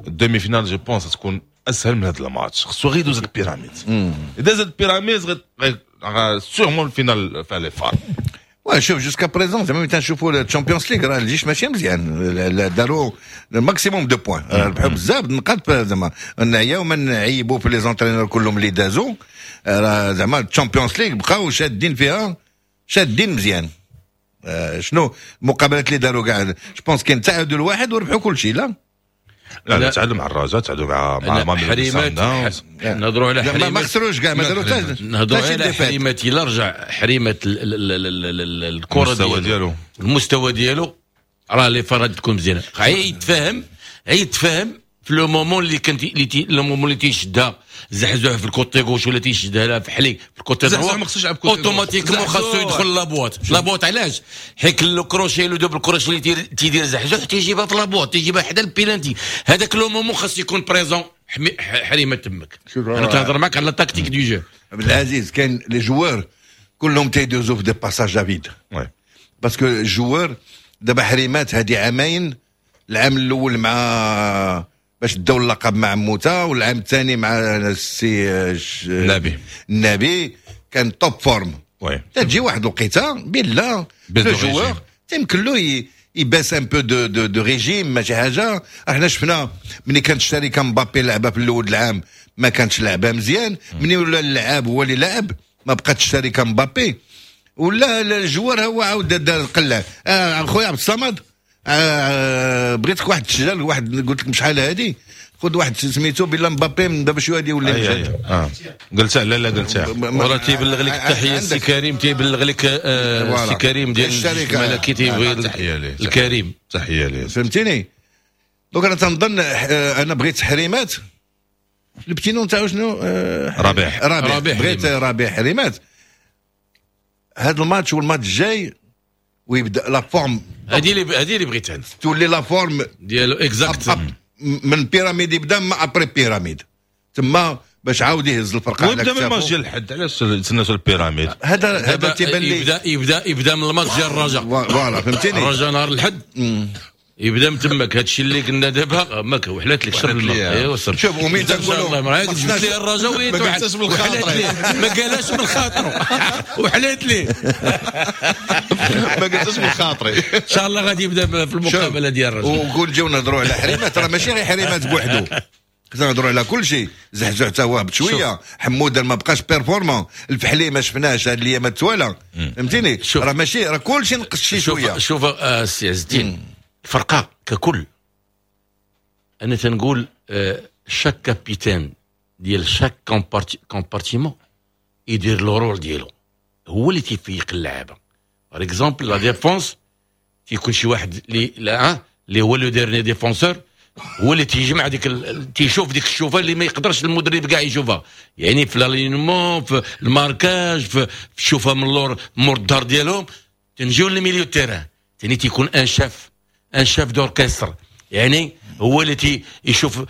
ال demi-finale je pense تكون اسهل من هذا الماتش. خصو غير يدوز البيراميدز. اذا داز البيراميدز غير sûrement ال finale فا les FAR. وشوف jusqu'à présent زعما ملي تنشوفوا ال Champions League راه الجيش ماشي مزيان، داروا maximum de points، ربحوا بزاف نقاط زعما نعياو ما نعيبوا في les entraîneurs كلهم اللي دازوا، راه زعما ال Champions League بقاو شادين فيها شادين مزيان. شنو المقابلات اللي داروا كاع je pense كاين تعادل واحد وربحوا كل شيء. لا لا لا تعادلوا مع الرجاء، تعادلوا مع مع مع حريمات. نهضروا على حريمات ما خسروش كاع، ما داروا حتى نهضروا على حريمات. الا رجع حريمات الكره ديالو المستوى ديالو راه les FAR غادي تكون مزيانه. غيتفاهم غيتفاهم في le moment اللي كنت le moment اللي تيشدها زحزوح في ال côté gauche ولا تيشدها لها في حلي في ال côté droit automatiquement خاصو يدخل la boîte. la boîte علاش؟ حيت le crochet le double crochet اللي تيدير زحزوح تيجيبها في la boîte، تيجيبها حدا البيلانتي. هذاك le moment خاص يكون présent حريمه تمك. انا تهضر معاك على tactique de jeu. عبد العزيز كاين les joueurs كلهم تيدوزو في des passages à vide parce que ال joueur دابا حريمات هادي عامين، العام الاول مع باش داو اللقب مع موتا، والعام الثاني مع السي النبي النبي كان top forme. oui تجي واحد الوقيته بالله le joueur تيمكن له يباس un peu de de de régime ماشي حاجة. احنا شفنا ملي كانت الشركة مبابي لعبه في الاول العام ما كانتش لعبه مزيان، ملي ولا اللعاب هو اللي لعب ما بقاتش الشركة مبابي ولا ال joueur هو عاود دار القلة. آه خويا عبد الصمد آه بغيتك واحد التسجيل واحد قلت لك شحال هادي خذ واحد سميتو بلا مبابي من دابا شوية غادي يولي مجهد. اه قلتها لا لا قلتها. وراه تيبلغ لك التحية السي كريم، تيبلغ لك السي كريم ديال الملكي، تيبغي الكريم تحية ليه، فهمتيني؟ donc انا تنظن انا بغيت حريمات ال petit nom تاعو شنو؟ ربيع ربيع بغيت ربيع حريمات هذا الماتش والماتش الجاي ويبدا la forme. هذه اللي هذه اللي بغيت انا، تولي la forme ديالو exacte من بيراميد يبدا ما après بيراميد تما باش عاود يهز الفرقة. ويبدا من الماتش ديال الحد، علاش تسناو البيراميد؟ هذا هذا تيبان لي يبدا يبدا يبدا من الماتش ديال الرجاء. voilà فهمتيني، الرجاء نهار الحد يبدا من تماك. هادشي اللي قلنا دابا ما وحلات لك شرب الماء. ايوا شوف ومين تنقولوا ما جبت لي الرجاء وحلات ليه، ما قالهاش من خاطره وحلات ليه ما قلتش من خاطري. ان شاء الله غادي يبدا في المقابلة ديال الرجاء. وقول جاو نهضروا على حريمات، راه ماشي غير حريمات بوحدو، خصنا نهضروا على كل شيء. زحزح حتى هو بشوية، حموده ما بقاش performant، الفحلي ما شفناهش هاد الايام التواله، فهمتيني؟ راه ماشي راه كل شيء نقص شي شوية. شوف السي عز الدين، الفرقة ككل انا تنقول chaque capitaine ديال chaque compartiment يدير le rôle ديالو، هو اللي تيفيق اللعابه. par exemple la défense تيكون شي واحد اللي لا اللي هو le dernier défenseur، هو اللي تيجمع ديك ال... تيشوف ديك الشوفه اللي ما يقدرش المدرب كاع يشوفها، يعني في l'alignement، في ال marquage، في الشوفه من اللور مور الظهر ديالهم. تنجيو لل milieu terrain ثاني تيكون un chef un chef d'orchestre، يعني هو اللي تي يشوف آه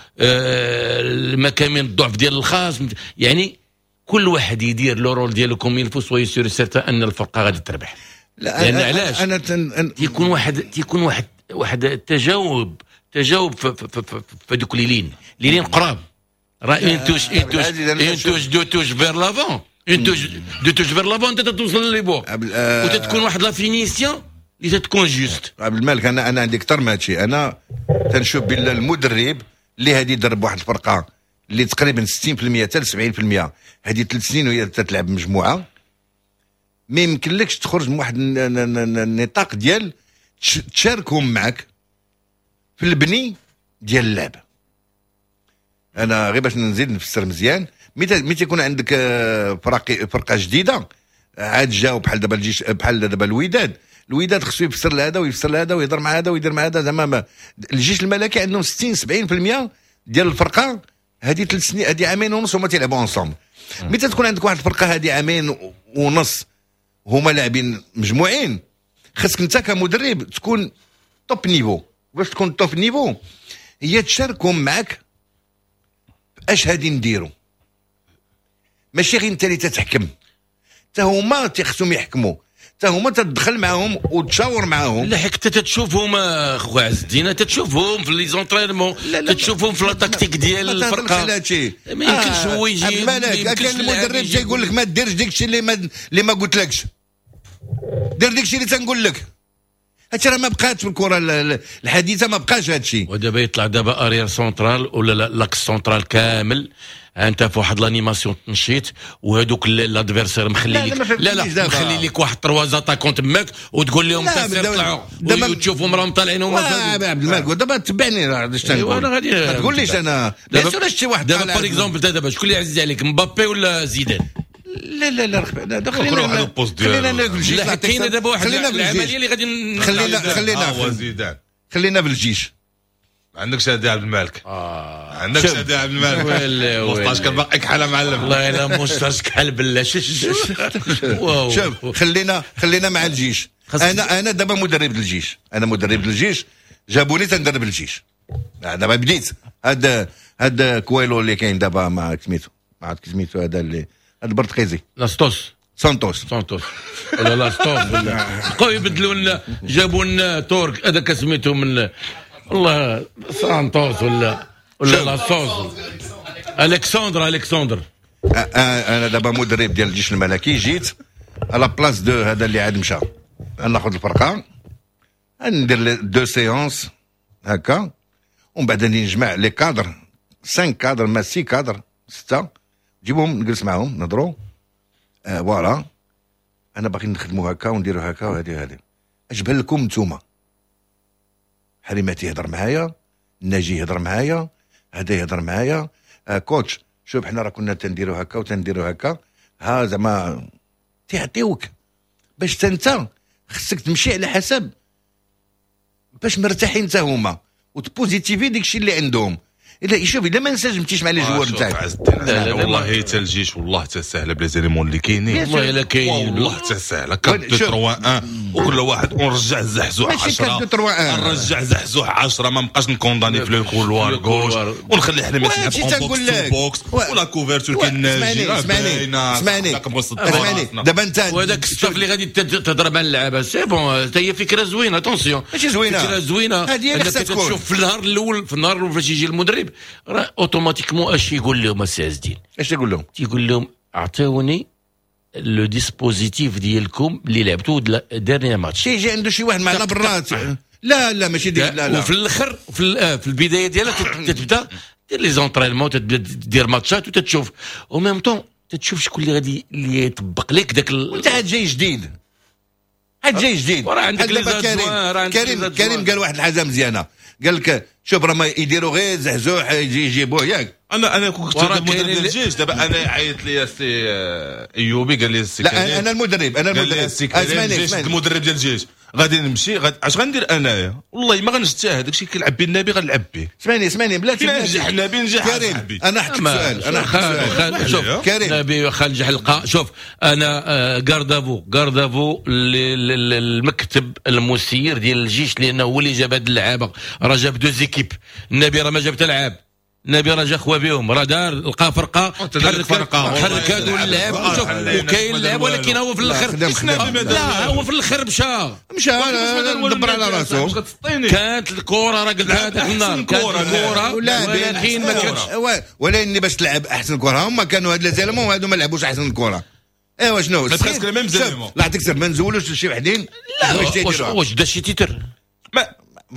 المكامن الضعف ديال الخصم. يعني كل واحد يدير le rôle ديالو comme il faut، soyez sûr certain ان الفرقة غادي تربح. لا لان علاش؟ انا تن... تيكون واحد تيكون واحد واحد التجاوب تجاوب في, في, في, في دوك les lignes les lignes قراب، راه une touche une touche une touche deux touches vers l'avant، une touche deux touches vers l'avant، انت توصل les buts وتتكون واحد la finition اللي تتكون juste. عبد الملك انا انا عندي اكثر من هادشي. انا تنشوف بان المدرب اللي هادي يدرب واحد الفرقة اللي تقريبا ستين بالمية حتى سبعين بالمية هذه ثلاث سنين وهي تتلعب مجموعة، ما يمكنلكش تخرج من واحد النطاق ديال تشاركهم معك في البني ديال اللعب. انا غير باش نزيد نفسر مزيان، متى تيكون عندك فرق فرقه جديدة عاد جاو بحال دابا الجيش، بحال دابا الوداد، الوداد خصو يفسر لهذا ويفسر لهذا ويهضر مع هذا ويدير مع هذا. زعما الجيش الملكي عندهم ستين سبعين بالمية ديال الفرقة هذه ثلاث سنين، هذه عامين ونص هما تيلعبوا ensemble. متى تكون عندك واحد الفرقة هذه عامين ونص هما لاعبين مجموعين، خاصك انت كمدرب تكون top niveau. باش تكون top niveau هي تشاركهم معك اش هادي نديرو، ماشي غير انت اللي تتحكم، حتى هما تيخصهم يحكموا، حتى هما تدخل معاهم وتشاور معاهم. لا حيت تتشوفهم اخويا عز الدين، تتشوفهم في les entraînements، تتشوفهم في la tactique ديال الفرقة. ما يمكنش هو يجي مالك كان المدرب تيقول لك ما ديرش ديك الشيء اللي ما اللي ما قلتلكش، دير ديك الشيء اللي تنقول لك. هادشي راه ما بقاتش في الكره الحديثة، ما بقاش هادشي. ودابا يطلع دابا arrière central ولا l'axe central كامل، انت في واحد l'animation تنشيط، وهذوك l'adversaire مخلي لك لا لا مخلي لك واحد trois attaquants تماك وتقول لهم طلعوا وتشوفهم راهم طالعين هما. عبد الملك دابا تبعني راه اش تنقول، انا غادي ما تقوليش انا bien sûr شي واحد. دابا par exemple دابا شكون اللي عزيز عليك، مبابي ولا زيدان؟ لا لا لا لا خلينا خلينا ناكل الجيش. لا كاينه دابا واحد العملية اللي غادي خلينا خلينا هو زيدان، خلينا في الجيش. ما عندكش هادي عبد الملك، آه. عندكش هادي عبد الملك، moustache كان باقي كحلة معلم. والله الا moustache كحل بالله. شوف خلينا خلينا مع الجيش. انا انا دابا مدرب الجيش، انا مدرب الجيش، جابوني تندرب الجيش. دابا بديت هذا هذا كويلو اللي كاين دابا مع سميتو، ما عرفت سميتو هذا اللي هذا البرتقيزي لاستوس سانتوس سانتوس ولا لاستوس ولا بقاو يبدلوا لنا، جابوا لنا ترك هذاك سميتو من والله سانتوس ولا ولا لاستوس الكسندر الكسندر. انا دابا مدرب ديال الجيش الملكي، جيت à la place de هذا اللي عاد مشى، ناخذ الفرقة ندير deux séances هكا، ومن بعد نجمع les cadres خمسة cadres ما ستة كادر ستة، جيبهم نجلس معاهم نهضروا آه voilà انا باغي نخدموا هكا ونديروا هكا وهذه وهذه. اش بان لكم نتوما؟ حريماتي يهضر معايا، الناجي يهضر معايا، هذا يهضر معايا آه coach شوف حنا راه كنا تنديروا هكا وتنديروا هكا، ها زعما تيعطيوك باش انت خصك تمشي على حسب باش مرتاحين انت هما وت positiver داك الشيء اللي عندهم. الا شوف الا ما انسجمتيش مع les joueurs نتاعك. والله حتى الجيش والله حتى سهلة ب les éléments اللي كاينين، والله الا كاينين والله حتى سهلة. أربعة اثنين ثلاثة واحد وكل واحد ونرجع الزحزوح عشرة، نرجع زحزوح عشرة، ما نبقاش ن condamner في le couloir gauche ونخلي حنا ما نلعب en box to box ولا couverture. كاين ناجي. اسمعني اسمعني اسمعني دابا انت وهذاك ال staff اللي غادي تهضر مع اللعابه c'est bon، حتى هي فكرة زوينة. attention ماشي زوينة، فكرة زوينة. هذه اللي خصها تكون. تشوف في النهار الاول، في النهار الاول فاش يجي المدرب راه automatiquement اش يقول لهم السي عز الدين؟ اش يقول لهم؟ تيقول لهم اعطيوني le dispositif ديالكم اللي لعبتوه dernier match. تيجي عنده شي واحد مع برات. لا لا ماشي ديك، لا لا. وفي الاخر في, في البداية ديالها تتبدا دير les entraînements، تبدا دير ماتشات وتتشوف au même temps تتشوف شكون اللي غادي اللي يطبق لك داك. وانت عاد جاي جديد، عاد جاي جديد. وراه عندك les كريم كريم كريم قال واحد الحاجة مزيانه، قال لك شوف راه ما يديروا غير زحزوح يجي يجيبوه ياك. انا انا كنت مدرب ديال الجيش دابا، انا عيط لي السي ايوبي قال لي السي لا انا المدرب، انا المدرب اسمعني المدرب ديال الجيش غادي نمشي غادي اش غندير انايا؟ والله ما غنجتهد، داكشي كيلعب به النبي غنلعب به. اسمعني اسمعني بلاتي نجح النبي نجح كريم. انا حطيت سؤال، انا حطيت سؤال. شوف كريم النبي واخا نجح لقى. شوف انا garde à vous garde à vous المكتب المسير ديال الجيش، لانه هو اللي جاب هاد اللعابه، راه جاب deux équipes. النبي راه ما جاب حتى لعاب، النبي راه جا خوا بهم، راه دار لقى فرقه حركات واللعب. شوف وكاين اللعب ولكن هو في الاخر لا هو في الاخر مشى مشى دبر على راسو. كانت الكره راه قلتها هذاك النهار، كانت الكره ولكن ما كانتش. ولكن باش تلعب احسن كره هما كانوا هاد les éléments وهادو ما لعبوش احسن كره. ايوا شنو presque les mêmes éléments. لا عطيك ما نزولوش شي وحدين. لا واش دا شي titre؟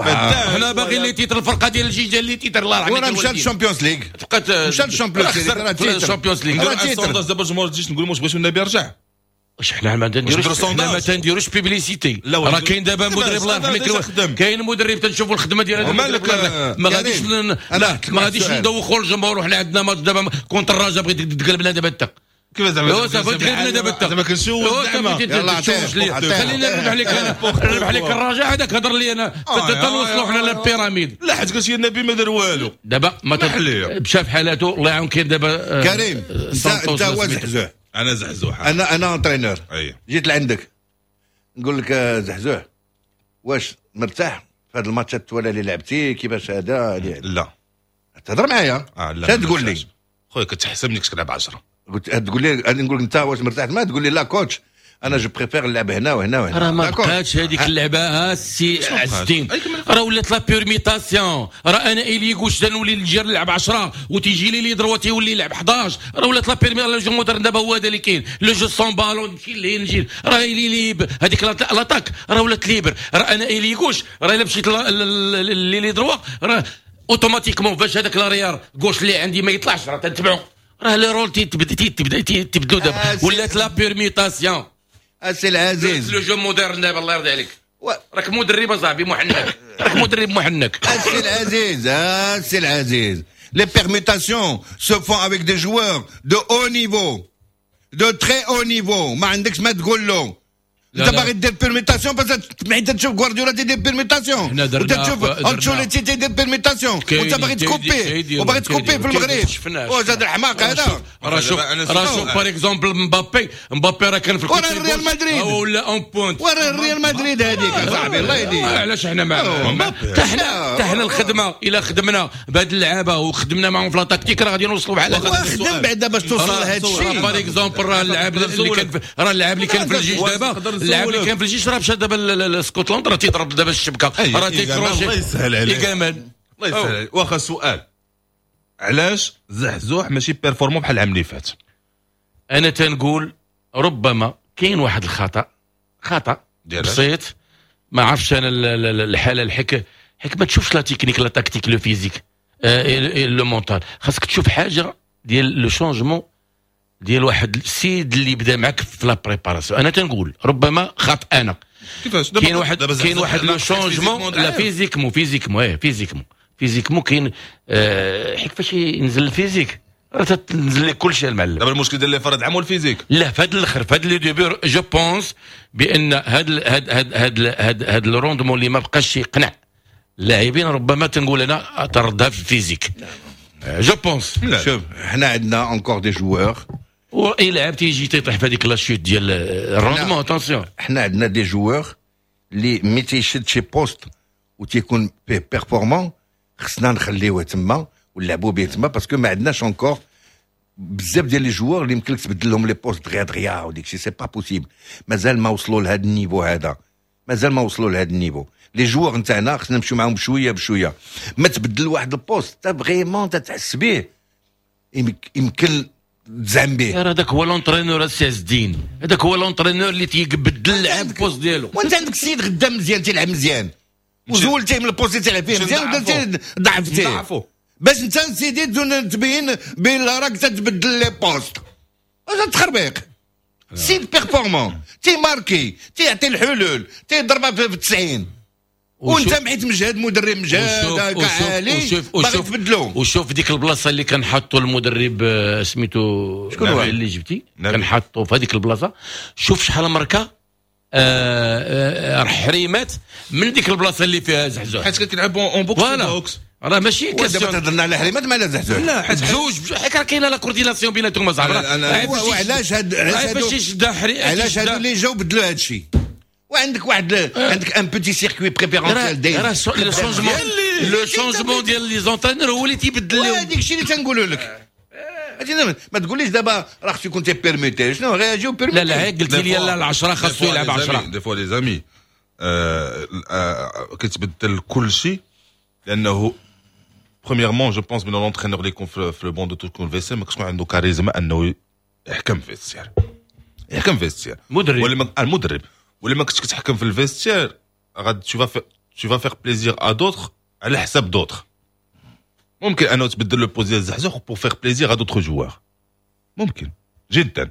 حنا باغيين les titres، الفرقة ديال الجيش ديال les titres الله يرحمه. وراه مشى لل Champions League، بقات مشى لل Champions League، راه titre ال Champions League. نديرو sondage دابا الجمهور الجيش نقول واش بغيتو النبي يرجع؟ واش حنا ما تنديروش، حنا ما تنديروش publicité. راه كاين دابا مدرب الله يرحمك، كاين مدرب تنشوفوا الخدمة ديال هذا المدرب. ما غاديش ما غاديش ندوخوا الجمهور وحنا عندنا ماتش دابا contre الرجاء، بغيت تقلب لنا دابا انت كيف زعما صافي تقلبنا دابا انت زعما كنشوف زعما يلاه عطية خلينا نربح لك انا نربح لك الرجاء هذاك هضر لي انا تنوصلوا حنا للبيراميد. لا حيت قالت لي النبي ما دار والو دابا ما مشى في حالاته الله يعاون. كاين دابا كريم انت هو زحزوح، انا زحزوح، انا انا entraîneur. جيت لعندك نقول لك زحزوح واش مرتاح في هذا الماتشات التوالى اللي لعبتي كيفاش هذا؟ لا تهضر معايا شنو تقول لي خويا؟ كتحسب انك تلعب عشرة. قلت تقول لي انا نقول لك انت واش مرتاح؟ ما تقول لي لا coach انا je préfère نلعب هنا وهنا وهنا. راه ما بقاتش هذيك اللعبة ها السي عز الدين، راه ولات la permutation. راه انا ailier gauche تنولي نجي نلعب عشرة وتيجي لي l'ailier droit تيولي يلعب حداش. راه ولات la permutation. le jeu moderne دابا هو هذا اللي كاين، le jeu sans ballon نمشي لهين نجي راه ailier libre هذيك l'attaque راه ولات libre. راه انا ailier gauche راه الا مشيت l'ailier droit راه automatiquement فاش هذاك l'arrière gauche اللي عندي ما يطلعش راه تنتبعو. راه les rôles تيتبدا تيتبدلوا دابا، ولات la permutation. السي العزيز le jeu moderne دابا الله يرضي عليك. راك مدرب اصاحبي محنك، راك مدرب محنك. السي العزيز السي العزيز les permutations se font avec des joueurs de haut niveau, de très haut niveau. ما عندكش ما تقول له انت باغي دير permutation بس حيت تشوف غوارديولا تيدير permutation وانت تشوف انشيلوتي تيدير permutation وانت باغي تكوبي وباغي تكوبي في المغرب. واش هذا الحماق هذا؟ راه شوف راه شوف par exemple مبابي مبابي راه كان في وراه الريال مدريد ولا en pointe وراه الريال مدريد هذيك اصاحبي الله يهديك. علاش حنا مع حتى حنا حتى حنا الخدمة الا خدمنا بهاد اللعابه وخدمنا معاهم في la tactique راه غادي نوصلوا بحال هكا. خدم بعدا باش توصل لهذا الشيء. par exemple راه اللاعب اللي كان راه اللاعب اللي كان في الجيش دابا، اللاعب اللي كان في الجيش راه مشى دابا لسكوتلاند راه تيضرب دابا الشبكة راه تيكروشي. الله يسهل عليك الله يسهل عليك. واخا سؤال، علاش زحزوح ماشي performant بحال العام اللي فات؟ انا تنقول ربما كاين واحد الخطا، خطا بسيط ما عرفتش انا الحالة الحك حيت ما تشوفش la technique la tactique le physique le mental. خاصك تشوف حاجة ديال le changement ديال واحد السيد اللي بدا معك في la préparation. انا تنقول ربما خط انا كيفاش كاين واحد كاين واحد le changement لا physiquement physiquement ايه physiquement physiquement كاين، آه، حيت فاش ينزل ال physique راه تنزل لك كل شيء المعلم. دابا المشكل ديال les FAR هاد العام هو ال physique. لا، في هذا الاخر، في هذا le début، je pense بان هذا هذا هذا هذا هذا ال rendement اللي ما بقاش يقنع اللاعبين، ربما تنقول انا تردها في ال physique، je pense. شوف، حنا عندنا encore des joueurs. واي لاعب تيجي تيطيح في هذيك la chute ديال ال rendement، attention. حنا عندنا des joueurs اللي ملي تيشد شي poste وتيكون فيه performant، خصنا نخليوه تما ونلعبوا به تما، parce que ما عندناش encore بزاف ديال les joueurs اللي يمكن لك تبدل لهم les postes دغيا دغيا وديك الشيء، c'est pas possible. مازال ما وصلوا لهذا ال niveau هذا، مازال ما وصلوا لهذا ال niveau les joueurs نتاعنا. خصنا نمشيو معاهم بشوية بشويه. ما تبدل واحد ال poste تا vraiment تتحس به يمكن تزعم به. راه هذاك هو l'entraîneur، السي عز الدين، هذاك هو l'entraîneur اللي تيبدل اللعب poste ديالو. وانت عندك السيد غدا مزيان، تيلعب مزيان، وزولتيه من ال poste اللي تيلعب فيه مزيان ودرتي ضعفتيه باش انت سيدي تبين بين راك تتبدل les postes. هذا تخربيق. سيد performant، تيماركي، تيعطي الحلول، تيضربها في التسعين، وانت محيت مجهد، مدرب مجهد عالي، باغي تبدلو. وشوف ديك البلاصة اللي كان حاطو المدرب، آه، سميتو شكون هو؟ اللي جبتي، كان حاطو في هذيك البلاصه، شوف شحال مركه آه، آه، حريمات من ديك البلاصة اللي فيها زحزوح. حيت كتلعب en box box. راه ماشي question. تهضرنا على حريمات ما على زحزوح. لا، حيت بجوج، حيت راه كاينه la coordination بيناتهم اصاحبي. وعلاش هاد علاش فاش يشد علاش هادو اللي جاو بدلوا هاد الشيء؟ وعندك واحد، عندك un petit circuit préférentiel داير. راه le changement le changement ديال les entraîneurs هو اللي تيبدل لهم. هذيك الشيء اللي تنقولوا لك، ما تقوليش دابا راه خصو يكون تي permuter، شنو غيجيو permuter؟ لا لا، قلت لي لا، العشرة خاصو يلعب عشرة. des fois les amis كيتبدل كل شيء، لانه premièrement je pense بان l'entraîneur اللي يكون في le banc de touche، يكون vestiaire، ما كتكون عنده كاريزما انه يحكم في vestiaire، يحكم في vestiaire. مدرب. ولا المدرب، ولا ما كنتش كتحكم في ال vestiaire، غاد tu vas tu vas faire plaisir à d'autres على حساب d'autres. ممكن انه تبدل le poste ديال زحزوح pour faire plaisir à d'autres joueurs، ممكن جدا.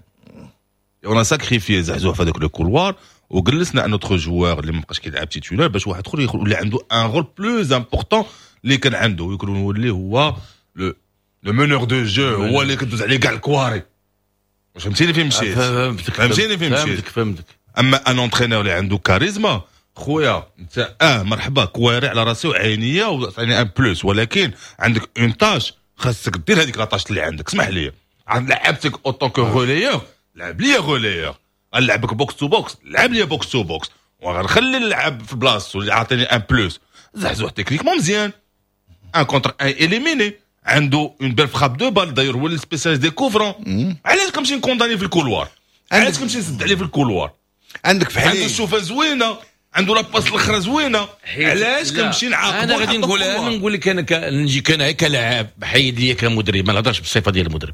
on a sacrifié زحزوح في هذاك le couloir وجلسنا un autre joueur اللي ما بقاش كيلعب titulaire، باش واحد اخر يولي عنده un rôle plus important اللي كان عنده، يكون يولي هو le le meneur de jeu، هو اللي كدوز عليه كاع الكواري. فهمتيني فين مشيت؟ فهمتك. فهمتيني فين مشيت؟ فهمتك فهمتك. اما un entraîneur اللي عنده كاريزما، خويا انت اه مرحبا، كواري على راسي وعينيا وعطيني un plus، ولكن عندك une tâche، خاصك دير هذيك la tâche اللي عندك. اسمح لي، لعبتك autant que relayeur، لعب لي relayeur. غنلعبك box to box، لعب لي box to box، وغنخلي اللعب في بلاصتو اللي عاطيني un plus. زحزوح techniquement مزيان، un contre un éliminé، عنده une belle frappe de balle، d'ailleurs هو ال spécialiste des coups francs. علاش كنمشي ن condamner في ال couloir؟ علاش كنمشي نسد عليه في ال couloir؟ عندك في عنده الشوفه زوينه، عنده la passe الاخرى زوينه، علاش كنمشي نعاقبو؟ انا غادي نقول، انا نقول لك، انا نجي كان كلاعب، حيد لي كمدرب، ما نهضرش بالصفة ديال المدرب،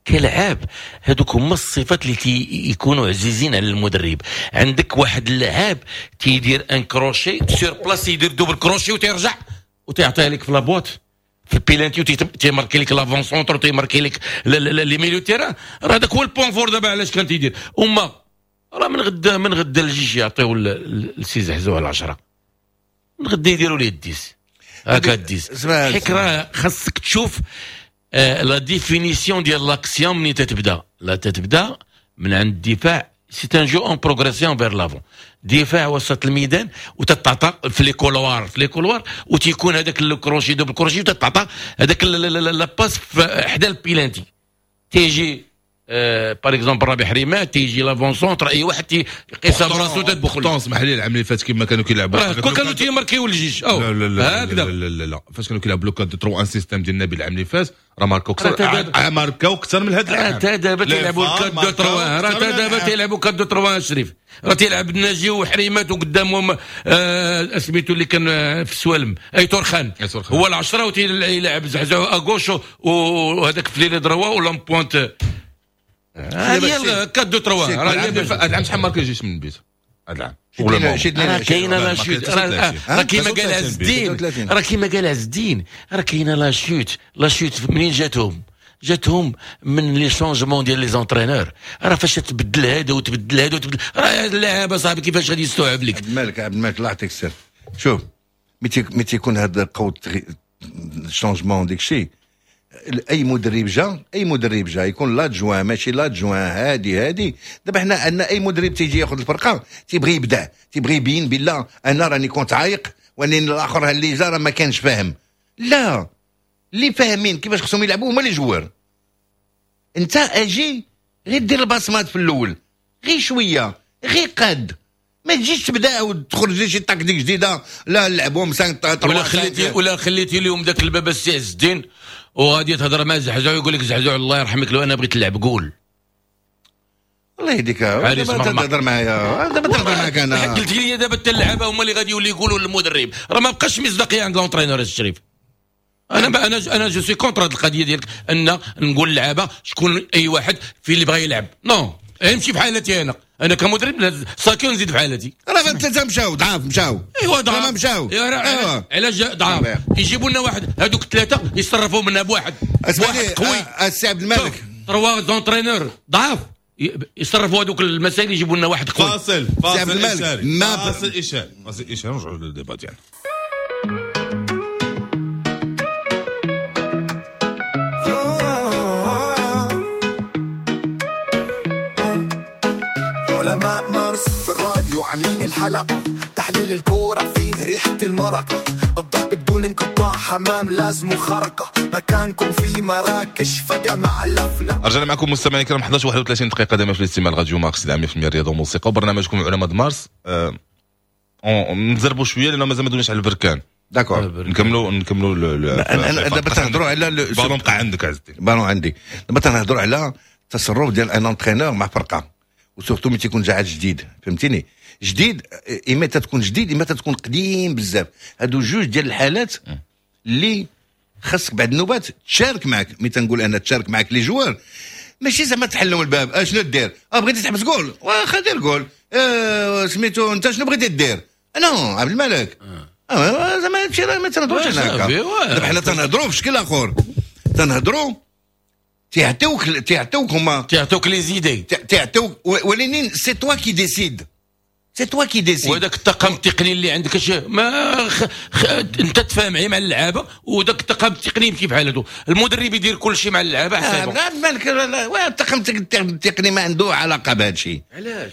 كلاعب هذوك هما الصفات اللي تيكونوا عزيزين على المدرب. عندك واحد اللاعب تيدير un crochet sur place، يدير double crochet وتيرجع وتيعطيها لك في la boîte، في البيلانتي، تيماركي لك l'avant-centre، تيماركي لك les milieux terrain. راه هذاك هو ال point fort. دابا علاش كان تيدير هما؟ راه من غدا من غدا الجيش يعطيو لسي زحزوح العشرة، من غدا يديروا ليه ال dix، هكا ال dix، حيت راه خاصك تشوف آه la définition ديال l'action منين تتبدا. لا، تتبدا من عند الدفاع، c'est un jeu en progression vers l'avant، دفاع وسط الميدان، وتتعطى في les couloirs في les couloirs وتيكون هذاك ال crochet، double crochet، وتتعطى هذاك la passe حدا البيلانتي. تيجي par exemple رابح حريمات، تيجي l'avant-centre، اي واحد تيقيسها براسو تدخل. pourtant اسمح لي، العام اللي فات كيما كانوا كيلعبوا كون كانوا تيماركيو الجيش. لا لا لا. هكذا. لا لا لا، فاش كانوا كيلعبوا le quatre trois un système ديال النبي، العام اللي فات راه ماركاو اكثر، ماركاو اكثر من هذا العام. راه دابا تيلعبوا quatre deux trois، راه دابا تيلعبوا quatre deux trois شريف، راه تيلعب الناجي وحريمات وقدامهم آه سميتو اللي كان في السوالم، ايت اورخان، هو العشرة، وتيلعب زحزوح à gauche وهذاك في l'ailier droit ولا pointe. هذه أربعة اثنين ثلاثة. هذا العام شحال ماركا الجيش من بيت هذا العام؟ راه كاينه la chute، راه كيما قال عز الدين، راه كيما قال عز الدين، راه كاينه la chute. la chute منين جاتهم؟ جاتهم من les changements ديال les entraîneurs. راه فاش تبدل هذا وتبدل هذا وتبدل، راه اللاعب صاحبي كيفاش غادي يستوعب لك؟ عبد الملك، عبد الملك، الله يعطيك السر. شوف، ملي تيكون هذا قوة ال changement ديك الشيء، اي مدرب جا، اي مدرب جا يكون l'adjoint ماشي l'adjoint، هادي هادي. دابا حنا عندنا اي مدرب تيجي ياخذ الفرقة تيبغي يبدع، تيبغي يبين بالله انا راني كنت عايق وان الاخر اللي جا راه ما كانش فاهم. لا، اللي فاهمين كيفاش خصهم يلعبوا هما les joueurs. انت اجي غير دير البصمات في الاول، غير شوية، غير قاد، ما تجيش تبدا وتخرج لي شي تكتيك جديده، لا نلعبوا خمسة ولا خليتي ولا خليتي اليوم ذاك الباب السي عز الدين وغادي تهضر مع زحزوع يقول لك زحزوع الله يرحمك لو انا بغيت نلعب قول. الله يهديك، دابا تهضر معايا، دابا تهضر معاك انا. قلت لي دابا حتى اللعابه هما اللي غادي يولي يقولوا للمدرب، راه ما بقاش مصداقية عند l'entraîneur الشريف. انا انا انا je suis contre هذه القضية ديالك ان نقول اللعابه شكون اي واحد في اللي بغى يلعب، non نمشي في حالتي انا، انا كمدرب ساكي ونزيد في حالتي. راه ثلاثة مشاو ضعاف، مشاو ايوا ضعاف ما مشاو. ايوا علاش ضعاف؟ يجيبوا لنا واحد، هذوك الثلاثة يصرفوا منا بواحد، واحد قوي. السي عبد الملك trois entraîneurs ضعاف يصرفوا هذوك المسائل، يجيبوا لنا واحد قوي. فاصل فاصل اشاري، فاصل اشاري، فاصل اشاري، نرجعوا لل débat ديالنا. علماء مارس في الراديو عاملين الحلقة، تحليل الكورة فيه ريحة المرق، الضرب بدون انقطاع، حمام لازم خرقة، مكانكم في مراكش فجأة مع اللفلة. رجعنا معكم مستمعينا الكرام إحدى عشر وواحد وثلاثين دقيقة دائما في الاستماع راديو مارس مية بالمية الرياضة والموسيقى وبرنامجكم علماء مارس. أه نزربوا شوية لأنه مازال ما دوناش على البركان. d'accord نكملوا نكملوا. دابا تنهضروا على بالون بقى عندك عز الدين، بالون عندي. دابا تنهضروا على التصرف ديال un entraîneur مع فرقة، و surtout ملي تيكون جا عاد جديد، فهمتيني؟ جديد اما تتكون جديد اما تتكون قديم بزاف. هادو جوج ديال الحالات اللي خاصك بعد النوبات تشارك معك. ملي تنقول انا تشارك معك les joueurs، ماشي زعما تحلهم الباب، اشنو دير؟ اه بغيتي تحبس جول، واخا دير جول، اه سميتو انت شنو بغيتي دير؟ non عبد الملك اه زعما هادشي راه ما تنهضروش انا هكا. دابا حنا تنهضروا في شكل اخر، تنهضروا تيعطيوك تيعطيوك هما تيعطيوك les idées، تيعطيوك، ولكن c'est toi qui décides، c'est toi qui décides. وهذاك الطاقم التقني اللي عندك اش ما خ... خ... انت تفاهم مع اللعابه، وذاك الطاقم التقني يمشي بحالته، المدرب يدير كل شيء مع اللعابه حسابه. آه مالك، الطاقم التقني ما عنده علاقة بهذا الشيء. علاش؟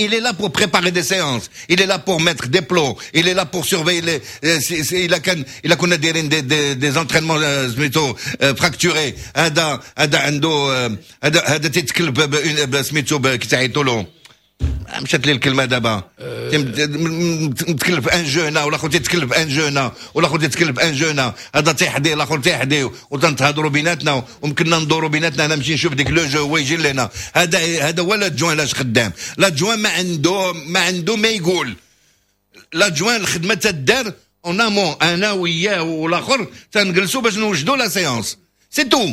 Il est là pour préparer des séances, il est là pour mettre des plots, il est là pour surveiller les إلا كان إلا كنا دايرين des des des entraînements سميتو fracturés، هذا هذا عنده هذا هذا تيتكلف سميتو كيتعيطوا له، مشات لي الكلمة دابا، متكلف un jeu هنا والاخر تيتكلف un jeu هنا والاخر تيتكلف un jeu هنا، هذا تيحدي الاخر تيحدي، وتنتهضروا بيناتنا وممكننا ندوروا بيناتنا. انا نمشي نشوف ديك le jeu هو يجي لهنا. هذا هذا هو l'adjoint علاش خدام. l'adjoint ما عنده ما عنده ما يقول. l'adjoint الخدمة تدار en amont، انا وياه والاخر تنجلسوا باش نوجدوا la séance، c'est tout.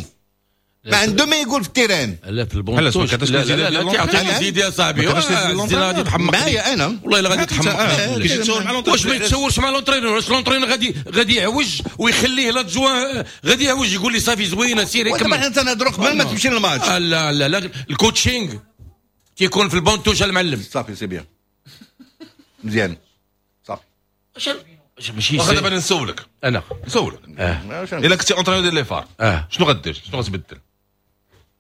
ما عنده ما يقول في ال terrain. لا في ال banc de touche، لا لا لا تعطيني زيد يا صاحبي، زيد غادي تحمق معايا انا والله الا غادي تحمق. واش ما يتشاورش مع l'entraîneur؟ واش l'entraîneur غادي غادي يعوج ويخليه l'adjoint غادي يعوج يقول لي صافي زوينة سيري كمل. دابا حنا تنهضروا قبل ما تمشي للماتش. لا لا لا ال coaching تيكون في ال banc de touche المعلم. صافي c'est bien مزيان صافي. ماشي واخا دابا نسولك انا نسولك الا كنتي entraîneur ديال les FAR شنو غدير؟ شنو غتبدل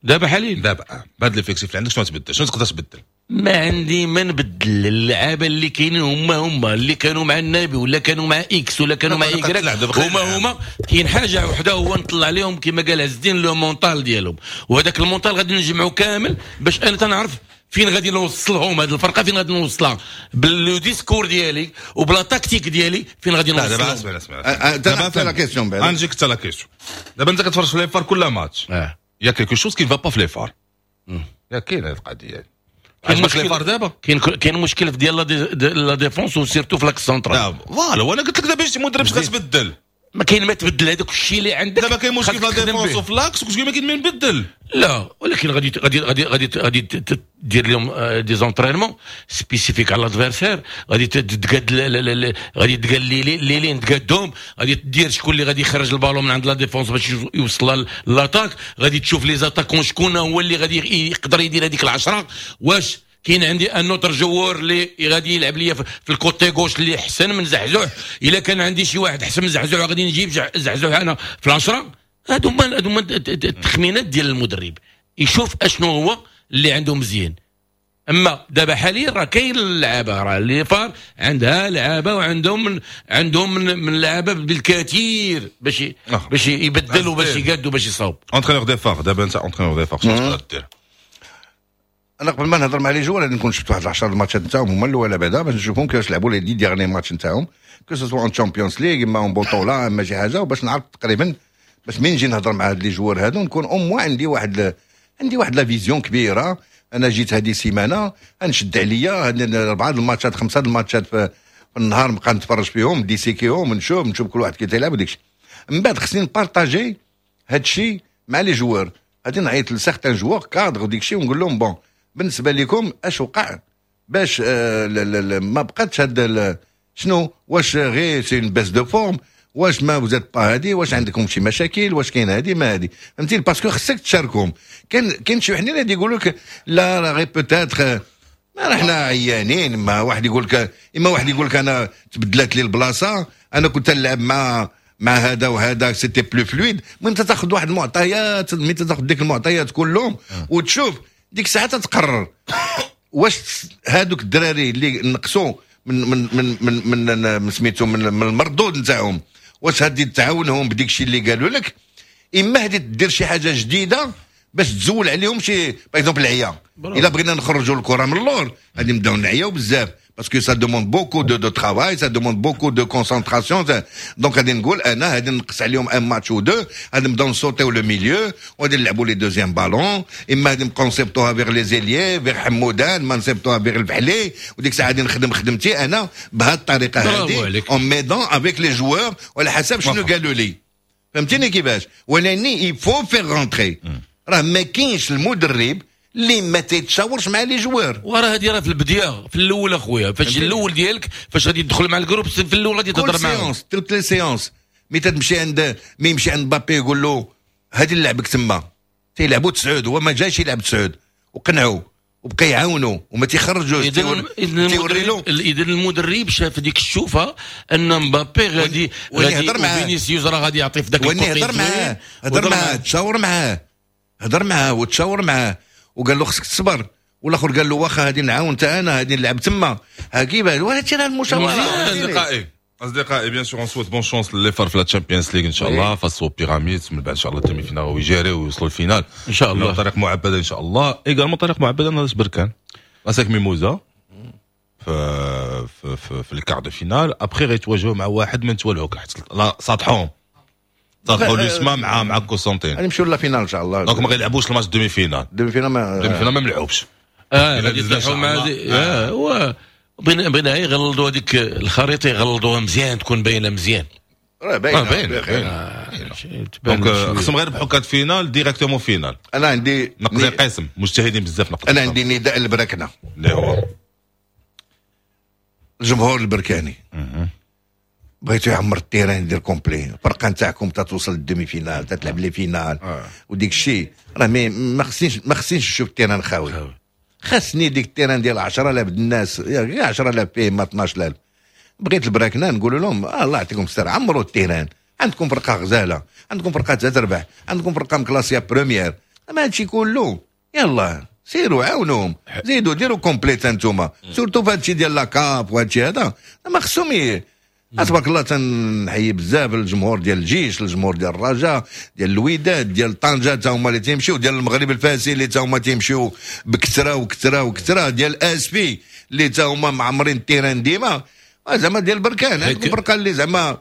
دابا حاليا؟ دابا بهاد l'effectif اللي عندك شنو تبدل؟ شنو تقدر تبدل؟ ما عندي ما نبدل. اللعابه اللي كاينين هما هما اللي كانوا مع النبي ولا كانوا مع X ولا كانوا مع Y، هما هما. كاين حاجة وحده هو نطلع لهم كما قال عز الدين le mental ديالهم، وهذاك ال mental غادي نجمعو كامل باش انا تنعرف فين غادي نوصلهم هذه الفرقة، فين غادي نوصلها ب le discours ديالي وب la tactique ديالي، فين غادي نوصلهم. دابا اسمع اسمع دابا la question بعدا غنجيك حتى la question. دابا انت كتفرج في les FAR كل ماتش، y a quelque chose qui va pas في les FAR، يا كاين هذه القضية. كاين مشكل FAR دابا، كاين كاين مشكل في ديال la défense و surtout في l'axe central. voilà، وانا قلت لك دابا جيتي مدرب اش غتبدل؟ ما كاين ما تبدل هذاك الشيء اللي عندك. دابا كاين مشكل في la défense وفي l'axe وكتقول ما كاين ما نبدل. لا ولكن غادي غادي غادي غادي غادي دير لهم des entraînements spécifiques على l'adversaire، غادي تقاد غادي تقاد les les lignes تقادهم، غادي دير شكون اللي غادي يخرج البالون من عند la défense باش يوصل l'attaque، غادي تشوف les attaquants شكون هو اللي غادي يقدر يدير هذيك العشرة. واش كاين عندي un autre joueur اللي غادي يلعب ليا في ال côté gauche اللي احسن من زحزوح. الا كان عندي شي واحد احسن من زحزوح غادي نجيب زحزوح انا في العشرة. هادو هما هادو هما التخمينات ديال المدرب، يشوف اشنو هو اللي عنده مزيان. اما دابا حاليا راه كاين اللعابه، راه les FAR عندها لعابه وعندهم من عندهم من, من لعابه بالكثير باش باش يبدلوا باش يقادوا باش يصاوب. entraîneur des FAR دابا انت entraîneur des FAR شنو تقدر دير؟ انا قبل ما نهضر مع les joueurs غادي نكون شفت واحد عشرة الماتشات نتاعهم هما الاولى بعدا باش نشوفهم كيفاش لعبوا les dix derniers matchs نتاعهم، que ce soit en Champions League اما en بطوله اما شي حاجة، وباش نعرف تقريبا باش من نجي نهضر مع هاد les joueurs هادو نكون au moins عندي واحد عندي واحد la vision كبيرة. انا جيت هذه السيمانة نشد عليا هاد اربعة الماتشات خمسة الماتشات في, في النهار نبقى نتفرج فيهم disséquer هم نشوف نشوف كل واحد كي تيلعب وداك الشيء. من بعد خصني ن partager هاد الشيء مع les joueurs، غادي نعيط ل certains joueurs cadres وديك الشيء ونقول لهم bon بالنسبة لكم اش وقع باش آه ما بقاتش هاد شنو، واش غير c'est une baisse de forme، واش ما vous êtes pas هادي، واش عندكم شي مشاكل، واش كاين هادي ما هادي، فهمتي؟ parce que خصك تشاركهم. كاين كاين شي وحدين اللي يقولوا لك لا راه غير peut-être ما حنا عيانين، ما واحد يقول لك اما واحد يقول لك انا تبدلت لي البلاصة، انا كنت نلعب مع مع هذا وهذا c'était plus fluide. المهم تاخذ واحد المعطيات، ملي تاخذ ديك المعطيات كلهم وتشوف ديك الساعة تتقرر واش هادوك الدراري اللي نقصوا من من من من من, من سميتو من, من المردود نتاعهم، واش هادي تعاونهم بديك الشيء اللي قالوا لك، اما هادي دير شي حاجة جديدة باش تزول عليهم شي par exemple العيا. الا بغينا نخرجوا الكره من اللور غادي نبداو نعياو بزاف parce que ça demande beaucoup de de travail، ça demande beaucoup de concentration. donc غادي نقول انا غادي نقص عليهم un match ou deux، غادي نبداو نصوتيو le milieu وغادي نلعبوا les deuxièmes ballons، اما غادي نبقاو نصيفطوها vers les ailiers vers حمودان، ما نصيفطوها vers الفحلي، وديك الساعة غادي نخدم خدمتي انا بهذه الطريقة هذه en m'aidant avec les joueurs وعلى حسب شنو قالوا لي، فهمتيني كيفاش؟ ولكن il faut faire rentrer، راه ما كاينش المدرب اللي ما تيتشاورش مع les joueurs. وراه هذه راه في البداية في الاول اخويا، فاش الاول ديالك فاش غادي تدخل مع ال groupe في الاول غادي تهضر معاهم séance toutes les séances. mais تمشي عند mais يمشي عند مبابي يقول له هادي نلعبك تما، تيلعبوا تسعود هو ما جاش يلعب تسعود، وقنعوا وبقى يعاونوا وما تيخرجوش. تيوري له اذا المدرب شاف ديك الشوفه ان مبابي غادي غادي فينيسيوس راه غادي يعطي في ذاك ال côté. هضر معاه هضر معاه تشاور معاه هضر معاه وتشاور معاه وقال له خصك تصبر، والاخر قال له واخا هادي نعاون تا انا هادي نلعب تما، ها كيفاش وهادشي راه المشاورة. اصدقائي اصدقائي bien sûr on souhaite bonne chance les FAR في la Champions League ان شاء الله face aux Pyramids، من بعد ان شاء الله ال demi-finale ويجاريو ويوصلوا ال finale ان شاء الله. طريق معبده ان شاء الله، également طريق معبده ناس بركان ASEC Mimosas في في في, في ال quart de finale، après غيتواجهوا مع واحد من توالهوك لا ساطحوهم ساطحوا l'USMA مع مع كوسونتين غادي نمشيو la finale ان شاء الله. donc ما غيلعبوش ال match demi-finale demi-finale ما demi-finale ما ملعوبش. اه غادي يطيحوا مع اه هو بغينا بغينا يغلظوا هذيك الخريطة، يغلظوها مزيان تكون باينة مزيان. راه باينة باينة donc خصهم غير يربحوا quart finale directement finale. انا عندي نقضي قسم مجتهدين بزاف نقضي. انا عندي نداء البركنه اللي هو الجمهور البركاني، بغيتو يعمر ال terrain يدير complet، الفرقة نتاعكم تتوصل لل demi-finale تتلعب les finales آه. وديك الشيء راه ما خصنيش ما خصنيش نشوف ال terrain خاوي، خاصني ديك ال terrain ديال عشرة آلاف الناس، عشرة آلاف فيه ما اثنا عشر ألف. بغيت البراكنه نقول لهم آه الله يعطيكم الستر عمروا ال terrain، عندكم فرقه غزاله، عندكم فرقه تربح، عندكم فرقه مكلاسيه première، ما هادشي كله يلا سيروا عاونوهم زيدوا ديروا complet انتوما surtout في هادشي ديال la CAF وهادشي هذا ما خصهم. تبارك الله تنحيي بزاف الجمهور ديال الجيش، الجمهور ديال الرجاء، ديال الوداد، ديال طنجه تا هما اللي تيمشيو، ديال المغرب الفاسي اللي تا هما تيمشيو بكثرة وكثرة وكثرة، ديال اسفي اللي تا هما معمرين ال terrain ديما، زعما ديال بركان هذيك الفرقة اللي زعما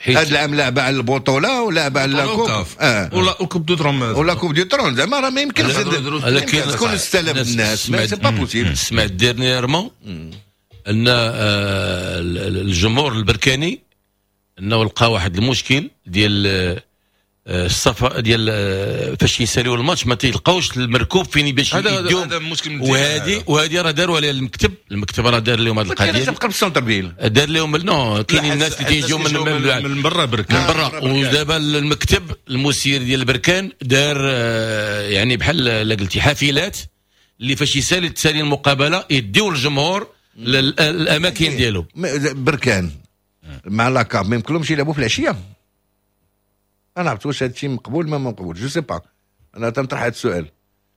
هذا العام لعبه على البطولة ولعبه على la coupe اه ولا coupe du trône ولا coupe du trône، زعما راه ما يمكنش تكون ستة آلاف الناس، c'est pas possible. سمعت dernièrement ان آه، الجمهور البركاني انه لقى واحد المشكل ديال آه، الصفا ديال آه، فاش يساليو الماتش ما تيلقاوش المركوب فين باش هذا هذا مشكل. وهذه وهذه راه داروا عليها المكتب، المكتب راه دار لهم هذه القضية. تبقى في ال centre-ville دار لهم non كاينين الناس اللي تيجيو من من, من برا بركان من برا. ودابا المكتب المسير ديال البركان دار يعني بحال لا قلتي حافلات. اللي فاش يسالي تسالي المقابلة يديو الجمهور للاماكن ديالو. بركان مع la CAF ما يمكنلهمش يلعبوا في العشية. انا عرفت واش هذا الشيء مقبول ما مقبول، je sais pas، انا تنطرح هذا السؤال.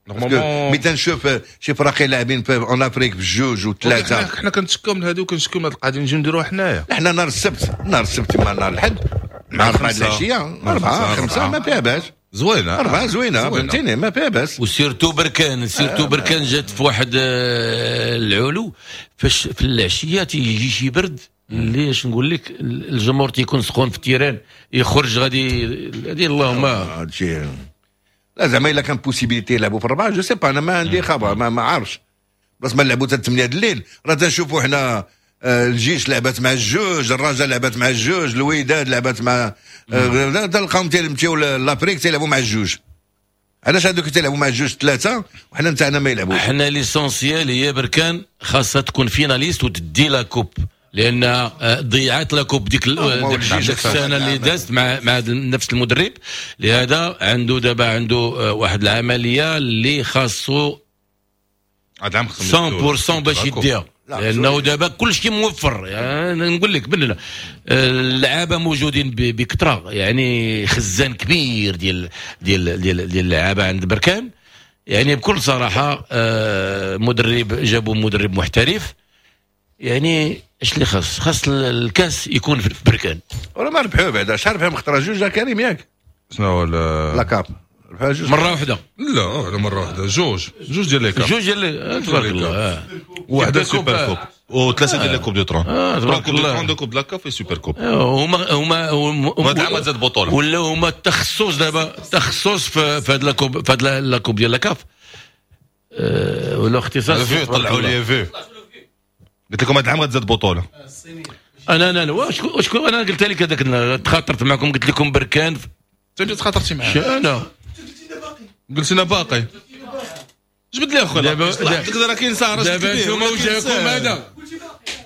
ملي تنشوف شي فراقي لاعبين في en Afrique بجوج وثلاثة، حنا كنتشكاو من هذه وكنشكاو من هذه القضية، نجيو نديروها حنايا. حنا نهار السبت، نهار السبت مع نهار الحد مع أربعة العشية، أربعة خمسة ما فيها باس، زوينة أربعة زوينة فهمتيني، ما فيها باس. و surtout بركان، surtout بركان جات في واحد العلو فاش في العشية تيجي شي برد اللي اش نقول لك، الجمهور تيكون سخون في ال terrain يخرج غادي غادي اللهم هادشي. لا زعما الا كان possibilité يلعبوا في الربعه je sais pas، انا ما عندي خبر، ما, ما عارفش. بس ما نلعبوا حتى ثمانية الليل، راه تنشوفوا حنا الجيش لعبت مع الجوج، الرجاء لعبت مع الجوج، الوداد لعبت مع تلقاهم تيمشيو l'Afrique تيلعبوا مع الجوج. علاش هذوك تيلعبوا مع الجوج ثلاثة وحنا نتاعنا ما يلعبوش؟ حنا l'essentiel هي بركان خاصها تكون finaliste وتدي la coupe، لان ضيعت la coupe ديك ديك السنة اللي دازت مع مع نفس المدرب. لهذا عنده دابا عنده واحد العملية اللي خاصو مية بالمية باش يديها، لانه دابا كل شيء موفر. يعني نقول لك بلنا اللعابه موجودين بكثرة، يعني خزان كبير ديال ديال ديال ديال اللعابه عند بركان. يعني بكل صراحة مدرب جابوا مدرب محترف، يعني اش اللي خاص؟ خاص الكاس يكون في بركان. ولا ما ربحوه بعدا، شحال ربحوا مختار جوج كريم ياك؟ شنو هو la CAF؟ ربحوها جوج مرة واحدة. لا مرة واحدة، جوج جوج ديال les CAF، جوج ديال تبارك الله، واحدة super coupe وثلاثة ديال les coupes du trône، تبارك coupe du trône، deux coupes la CAF super coupe. هما هما هما العام زاد بطوله ولا هما التخصص دابا، التخصص في هاد la coupe، في هاد la coupe ديال la CAF ولا اختصاص. طلعوا لي في قلت لكم هذا العام غتزاد بطوله. انا انا واش واش انا قلت لك هذاك، تخاطرت معكم قلت لكم بركان. انت تخاطرتي معاه؟ انا قلت لنا باقي. جبد لي اخويا دابا راه كاين سهره. دابا انتم وجهكم هذا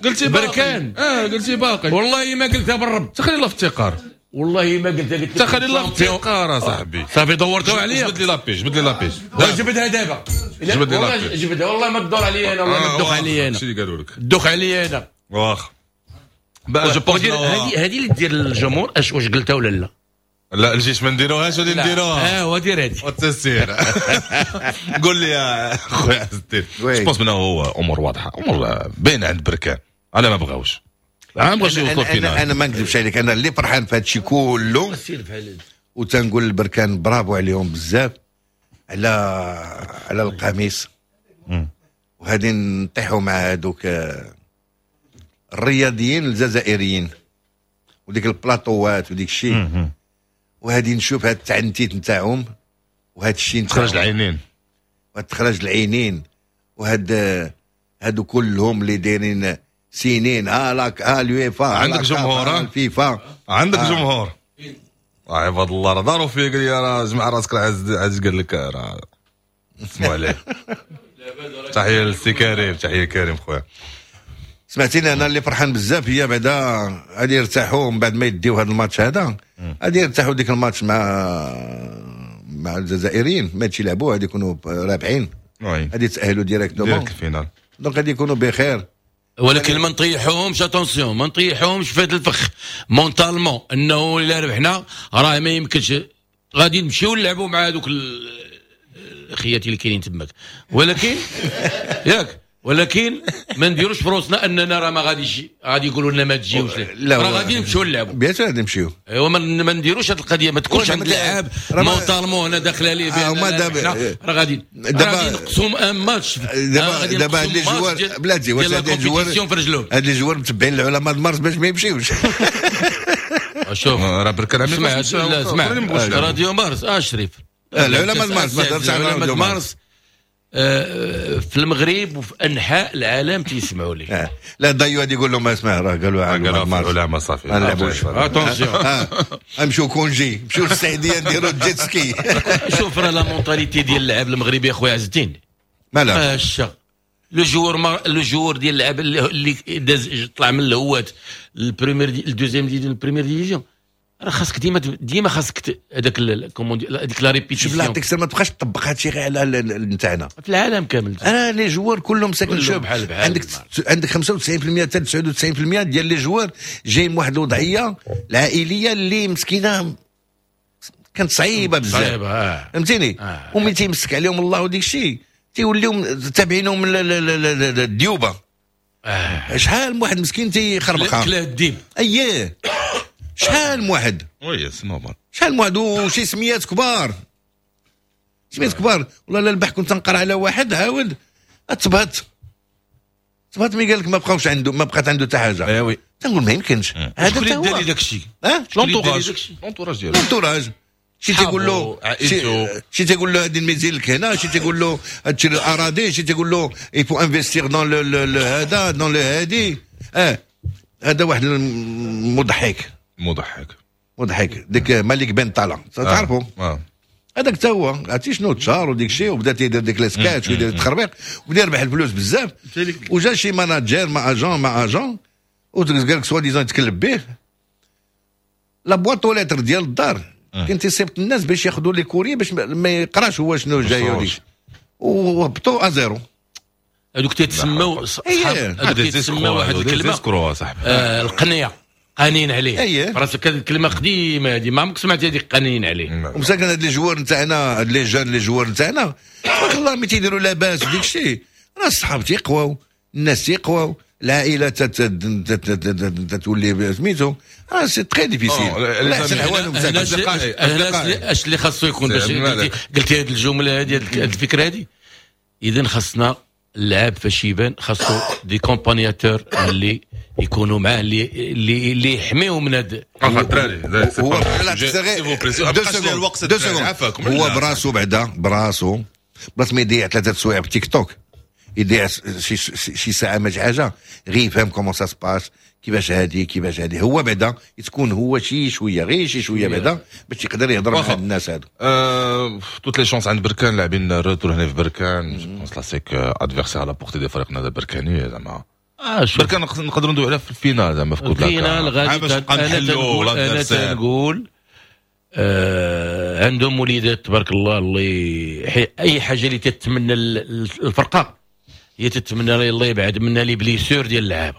قلتي باقي بركان. اه قلتي باقي. والله ما قلتها بالرب. تخلي الله في التقار. والله ما قلتها، قلت تخلي الله في التقار اصاحبي. صافي دورتوا عليا. جبد لي la page، جبد لي la page. جبدها دابا، جبد لي la page، جبدها. والله ما تدور عليا انا، والله ما تدوخ عليا انا. شنو اللي قالوا لك؟ دوخ عليا انا. واخا je pense هذه هذه اللي دير الجمهور. اش واش قلتها ولا لا؟ لا الجيش ما نديروهاش ولا نديروها. اه ودير هذه والتسير. قول لي يا خويا عز الدين، je pense منه هو امور واضحة، امور باينة عند بركان. انا ما بغاوش، انا ما بغاوش يوصلوا finale. انا ما نكذبش عليك، انا اللي فرحان في هذا الشيء كله وتنقول لبركان برافو عليهم بزاف على على القميص، وغادي نطيحوا مع هذوك الرياضيين الجزائريين وديك البلاطوات وديك الشيء، وهادي نشوف هاد التعنتيت نتاعهم وهاد الشيء تخرج العينين، وهاد تخرج العينين، وهاد هادو كلهم اللي دايرين سنين ها لاك ها اليوفا. عندك جمهور الفيفا، عندك آه. جمهور عباد الله راه داروا فيا، قال لي راه جمع راسك راه عز عز قال لك راه اسمعوا عليه. تحية للسي كريم، تحية كريم خويا. سمعتيني انا اللي فرحان بزاف هي بعدا غادي يرتاحوا من بعد ما يديو هذا الماتش هذا، غادي يرتاحوا ديك الماتش مع مع الجزائريين ما يلعبوا، غادي يكونوا رابحين، غادي يتاهلوا directement direct ال finale، donc غادي يكونوا بخير. ولكن ما نطيحوهمش، attention ما نطيحوهمش في هذا الفخ mentalement، انه الا ربحنا راه ما يمكنش غادي نمشيو نلعبوا مع هذوك الخياتي اللي كاينين تماك، ولكن ياك ولكن ما نديروش في روسنا اننا راه ما غاديش غادي يقولوا لنا ما تجيوش، راه غادي نمشيو نلعبوا، bien sûr غادي نمشيو. ايوا ما نديروش هذه القضية، ما تكونش عند اللاعب mentalement هنا داخله ليه بان راه غادي غادي نقصهم un match. دابا دابا هاد les joueurs بلاتي، واش هاد les joueurs هاد les joueurs متبعين العلماء مارس باش ما يمشيوش. شوف راه بركان اسمع، اسمع راديو مارس اه شريف، العلماء مارس ما درتش على العلماء مارس في المغرب وفي انحاء العالم تيسمعوا لي. لا ضيو غادي يقول لهم اسمع راه قالوا قالوا العلماء صافي ما نلعبوش، attention نمشيو congé، نمشيو للسعودية نديروا jet ski. شوف راه la mentalité ديال اللاعب المغربي اخويا عز الدين مالها هشه. le joueur le joueur ديال اللاعب اللي داز طلع من الهوات ال première ال deuxième division ال première division راه خاصك ديما ديما خاصك هذاك comment هذيك la répétition. شوف لا عطيك ما تبقاش تطبق هادشي غير على نتاعنا في العالم كامل. انا les joueurs كلهم ساكن شوف بحال بحال عندك عندك خمسة وتسعين بالمية حتى تسعة وتسعين بالمية ديال les joueurs جايين من واحد الوضعية العائلية اللي مسكينه كانت صعيبة بزاف، صعيبة فهمتيني؟ آه. وملي تيمسك عليهم الله وديك الشيء تيوليو تابعينهم الديوبه. آه. شحال من واحد مسكين تيخربقها كلاه الديب. اييه شحال من واحد، oui c'est normal، شحال من واحد وشي سميات كبار، سميات كبار. والله لا البارح كنت نقرا على واحد عاود تبهت تبهت مي قال لك ما بقاوش عنده، ما بقات عنده حتى حاجة. اي oui تنقول ما يمكنش هذا حتى هو دار داك الشيء. اه l'entourage l'entourage ديالو l'entourage شي تيقول له شي تيقول له هادي الميزيل لك هنا، شي تيقول له هادشي الاراضي، شي تيقول له il faut investir dans le هذا dans le هادي. اه هذا واحد المضحك مضحك مضحك ديك مالك بن طالع تعرفوا آه. هذاك حتى هو عرفتي شنو تشهر وديك الشيء وبدا تيدير ديك les sketchs ويدير التخربيق وبدا يربح الفلوس بزاف. وجا شي manager مع agent مع agent وقال لك soi-disant يتكلم به la boîte aux lettres ديال الدار كان تيصيفط الناس باش ياخذوا les courriers باش ما يقراش هو شنو جاي وديك وهبطوا à zéro. هذوك تيتسموا هذوك تيتسموا واحد الكلمة آه القنيه قانين عليه. أيه. راسك هذه الكلمة قديمة هذه ما عمرك سمعت هذيك قانين عليه. ومساكن هاد les joueurs نتاعنا هاد les jeunes les joueurs نتاعنا تبارك الله ملي تيديروا لاباس وديك الشيء راه الصحاب تيقواو، الناس تيقواو، العائلة تتولي سميتو راه c'est très difficile. لا احسن احوالهم. اش اللي خاصو يكون باش قلتي هذه الجملة هذه هذه الفكرة هذه؟ اذا خاصنا اللاعب فاش يبان خاصو des accompagnateurs اللي يكونوا معاه اللي اللي اللي يحميو من هاد هو هو براسو بعدا براسو بلاص ما يضيع ثلاثة سوايع في تيك توك يضيع شي شي ساعة ما شي حاجة غير يفهم comment ça se passe كيفاش هادي كيفاش هادي. هو بعدا تكون هو شي شوية غير شي شوية بعدا باش يقدر يهضر مع هاد الناس هادو. toutes les chances عند بركان لاعبين retour هنا في بركان je pense classique adversaire à la portée ديال فريقنا البركاني زعما. آه بركان نقدروا ندويو عليها في ال finale زعما في coupe ال finale غادي انا تنقول انا تنقول آه عندهم وليدات تبارك الله اللي اي حاجة اللي تتمنى الفرقة هي تتمنى الله يبعد منا les blessures ديال اللعابه.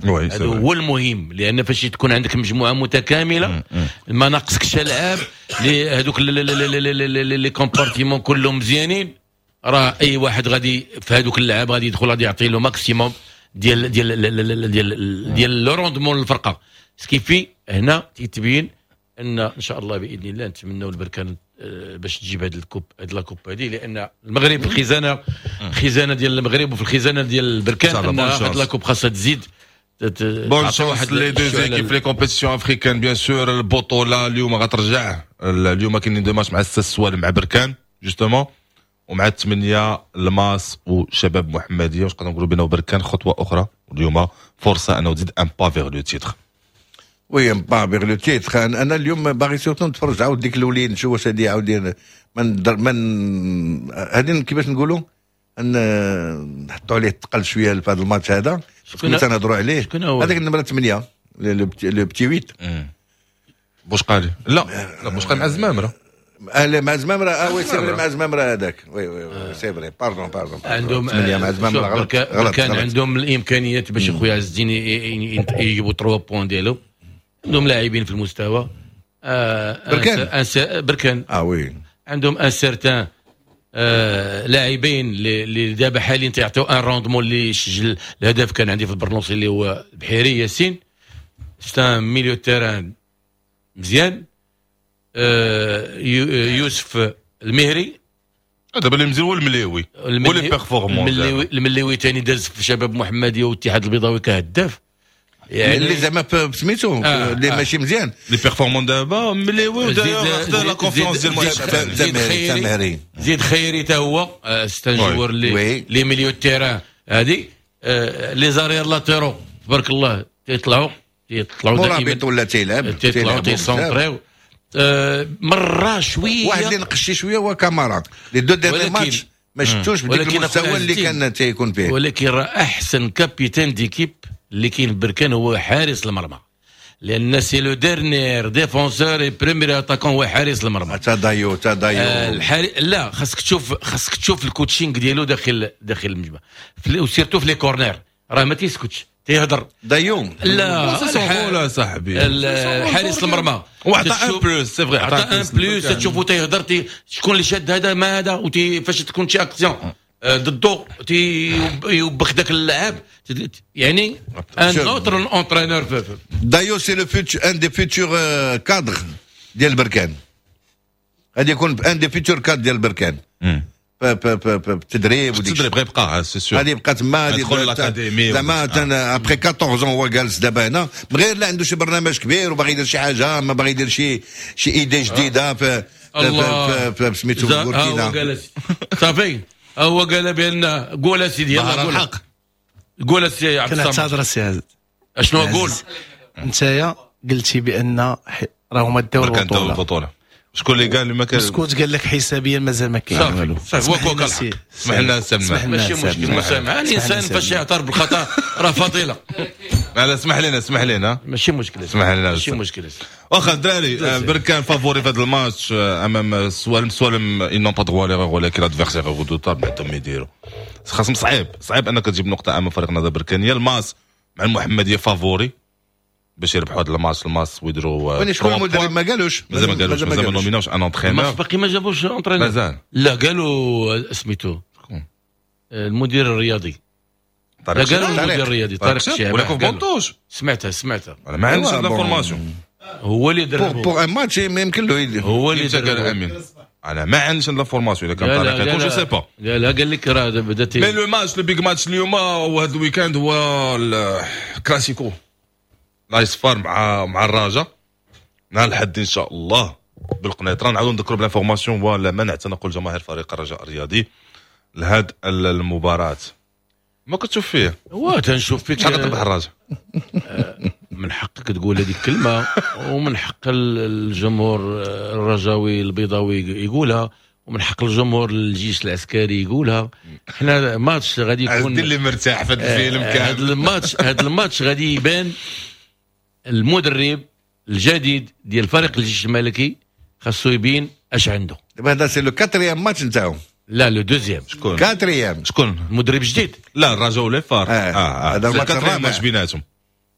هذا هو المهم، لان فاش تكون عندك مجموعة متكاملة ما ناقصكش العاب هذوك les compartiments كلهم مزيانين، راه اي واحد غادي في هذوك اللعاب غادي يدخل غادي يعطي له maximum ديال ديال ديال ديال le rendement للفرقة. ce qui fait هنا تيتبين ان ان شاء الله باذن الله نتمنوا البركان باش تجيب هذه ال coupe هذه la coupe هذه، لان المغرب في الخزانة الخزانة ديال المغرب وفي الخزانة ديال البركان ان هذه la coupe خاصها تزيد. bonne chance les deux équipes les compétitions africaines bien sûr. البطولة اليوم غترجع، اليوم كاينين deux matchs مع السوال مع بركان justement ومع الثمانية الماس وشباب محمديه. واش نقدروا نقولوا بانه بركان خطوة اخرى واليوم فرصة انه تزيد un pas vers le titre. oui un pas vers le titre. انا اليوم باغي surtout نتفرج عاود ديك الاولين نشوف واش هادي عاود من من هادي كيفاش نقولوا ان نحطوا عليه الثقل شوية في هذا الماتش هذا كنا تنهضروا عليه. هذاك النمرة ثمانية le petit huit بوشقالي لا لا بوشقالي مع الزمامره. اه مع زمامرة اه oui c'est vrai مع زمامرة هذاك oui oui oui c'est vrai pardon pardon عندهم مع زمامرة غلط غلط. كان عندهم الامكانيات باش خويا عز الدين يجيبوا ثلاثة points ديالهم، عندهم لاعبين في المستوى. آه بركان بركان اه oui عندهم un certain آه لاعبين اللي دابا حاليا تيعطيو un rendement اللي سجل الهدف كان عندي في البرنوصي اللي هو بحيري ياسين c'est un milieu terrain مزيان. آه يوسف المهري دابا اللي مزيان هو المليوي هو اللي performant. المليوي ثاني داز في شباب محمديه والاتحاد البيضاوي كهداف يعني اللي زعما سميتو اللي آه ماشي مزيان les performants دابا مليوي وداير la confiance ديال زيد خيري زيد خيري حتى هو c'est un joueur اللي les milieux terrain هادي les arrières latéraux تبارك الله تيطلعوا تيطلعوا دائما مرابط ولا تيلعب تيطلعوا تيسونطريو مرة شوية واحد اللي نقش شوية هو كامارا les deux derniers matchs ما شفتوش بديك المستوى اللي كان تيكون فيه. ولكن راه احسن capitaine d'équipe اللي كاين في بركان هو حارس المرمى. لان c'est le dernier défenseur et premier attaquant، هو حارس المرمى. تا دايو تا دايو. آه الحارس، لا، خاصك تشوف خاصك تشوف ال coaching ديالو داخل داخل المجمع، و surtout في les corners راه ما تيسكتش، تيهضر. دايو. لا. c'est صاحبي. حارس المرمى. وعطى un plus، c'est vrai. عطى un plus. تشوفو تيهضر، شكون اللي شاد هذا ما هذا، فاش تكون شي اكسيون ضدو تيوبخ ذاك اللاعب، يعني un autre entraîneur. دايو c'est le futur، un des futurs cadres ديال بركان، غادي يكون un des futurs cadres ديال بركان بالتدريب. التدريب غيبقى، c'est sûr. غادي يبقى تما. غادي يدخل l'académie. زعما après quatorze ans هو جالس دابا هنا، من غير لا عنده شي برنامج كبير وباغي يدير شي حاجه، ما باغي يدير شي شي idée جديدة في في في سميتو بوركينا. صافي، هو قال بان قول اسيدي، يلا قول الحق. قول السي عبد الصمد. كنعتذر السي عزيز. اشنو اقول؟ انت قلتي بان راهما داو البطوله. البطوله، شكون اللي قال؟ ما كان مسكوت، قال لك حسابيا مازال ما كاين والو. صافي، هو كوكا. اسمح لنا سمع. ماشي مشكل، مسامحه. الانسان فاش يعترف بالخطا راه فضيله. لا، اسمح لنا، اسمح لنا. ماشي مشكل. اسمح لنا. ماشي مشكل. واخا الدراري، بركان favori في هذا الماتش امام السوالم. السوالم ils n'ont pas droit à l'erreur، ولكن l'adversaire redoutable، عندهم يديروا خاصهم. صعيب صعيب انك تجيب نقطة امام فريق النهضة البركانيه. الماس مع المحمدية favori باش يربحوا هذا الماتش الماس ويديروا. شكون المدرب؟ ما قالوش. مازال ما قالوش، مازال ما nominاوش un entraîneur. باقي ما جابوش entraîneur. مازال. لا، قالوا سميتو المدير الرياضي. طارق. لا، قالوا المدير الرياضي طارق الشعبي. ولكن بونطوش. سمعتها سمعتها. انا ما عنديش l'information. هو اللي دربو. pour un match ما يمكن له. هو اللي قال امين، انا ما عنديش l'information اذا كان طارق يكون، je sais pas. لا لا، قال لك راه بدات. mais le match، le big match اليوم وهذا ال week-end هو الكلاسيكو، l'AS FAR مع مع الرجاء نهار الحد ان شاء الله بالقنيطره. نعاودوا نذكروا ب l'information هو منع تنقل جماهير فريق الرجاء الرياضي لهذه المباراة. ما كتشوف فيه؟ هو تنشوف فيك. شحال تربح الرجاء؟ من حقك تقول هذيك الكلمه، ومن حق الجمهور الرجاوي البيضاوي يقولها، ومن حق الجمهور الجيش العسكري يقولها. حنا ماتش غادي يكون اللي مرتاح في هذا الفيلم كامل. هذا الماتش هذا الماتش غادي يبان المدرب الجديد ديال فريق الجيش الملكي، خاصو يبين اش عنده. دابا هذا c'est le quatrième match نتاعو. لا، le deuxième. شكون؟ quatrième. شكون؟ المدرب جديد. لا، الرجاء ولا FAR. اه اه، هذا الماتش الرابع ماتش بيناتهم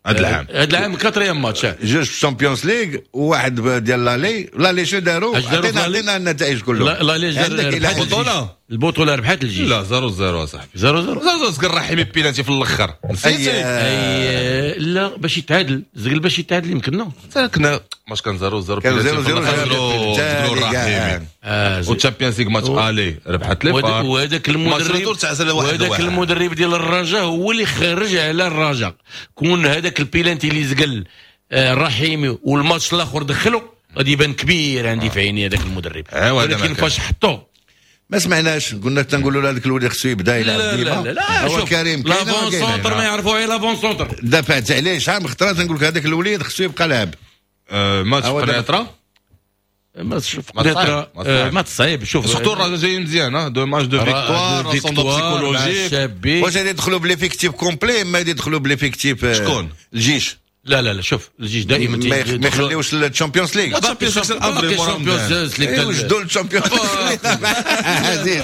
هذا العام. هذا العام quatrième match. جوج في ال Champions League وواحد ديال l'aller. l'aller شنو داروا؟ عطينا عطينا النتائج كلهم. l'aller عندك البطولة. البطولة ربحت الجيش. لا، zéro zéro صاحبي. zéro zéro. zéro zéro، زكر الرحيمي بيلانتي في الاخر. نسيتي؟ اي، لا، باش يتعادل، زقل باش يتعادل يمكن، non. كنا ماتش كان zéro zéro. كان zéro zéro. الرحيمي وال Champions League match aller ربحت les FAR. وهذاك المدرب وهذاك المدرب ديال الرجاء هو اللي خرج على الرجاء. كون هذاك البيلانتي اللي زقل الرحيمي والماتش الاخر دخلو، غادي يبان كبير عندي في عيني هذاك المدرب، ولكن فاش حطو ما سمعناش. قلنا تنقولوا له هذاك الولد خصو يبدا يلعب ديما. لا لا لا، هو كريم. l'avant-centre، ما يعرفوا غير l'avant-centre. دافعت عليه شحال من خطره، تنقول لك هذاك الوليد خصو يبقى لاعب. ماتش قنيطره. ماتش قنيطره ماتش صعيب، شوف. surtout الرجاء جاي مزيان، deux matchs، deux victoires، psychologique. واش غادي يدخلوا ب l'effectif complet؟ ما غادي يدخلوا ب l'effectif. شكون؟ الجيش. لا لا لا، شوف، الجيش دائما ما يخليوش ال Champions League. ال Champions League. يوجدوا ال Champions League عزيز،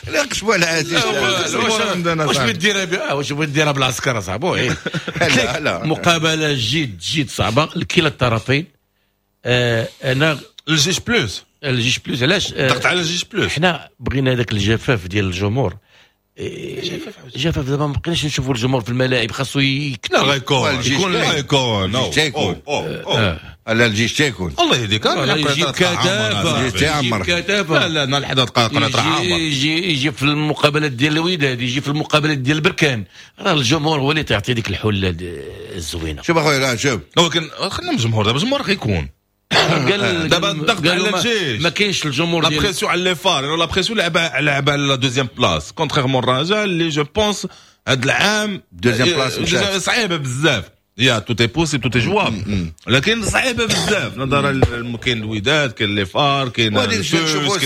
لا قشبوا على عزيز. واش بغيت واش بغيت ديرها بالعسكر صاحبي؟ لا لا. مقابله جد جد صعبة لكلا الطرفين. آه انا الجيش plus. الجيش plus، علاش؟ ضغط على الجيش plus. حنا بغينا هذاك الجفاف ديال الجمهور، جفاف. دابا ما بقيناش نشوفوا الجمهور في الملاعب، خاصو يكون. لا، غيكون، يكون، غيكون. تيكون على الجيش تيكون. الله يهديك. يجيب كتافه. الجيش تيعمر. لا لا، نهار الحد قناة عامر. يجي يجي في المقابلات ديال الوداد، يجي في المقابلات ديال البركان، راه الجمهور هو اللي تعطي ديك الحلة الزوينه. شوف اخويا، لا شوف. ولكن خلينا من الجمهور دابا، الجمهور غيكون. قال دابا الضغط على الجيش. ما كاينش الجمهور. la pression على les FAR، la pression لعب لعب على la deuxième place، contrairement الرجاء اللي je pense هذا العام deuxième place صعيبة بزاف. يا tout est possible، tout est jouable، لكن صعيبة بزاف نظرا كاين الوداد، كاين les FAR، كاين غادي نشوفوا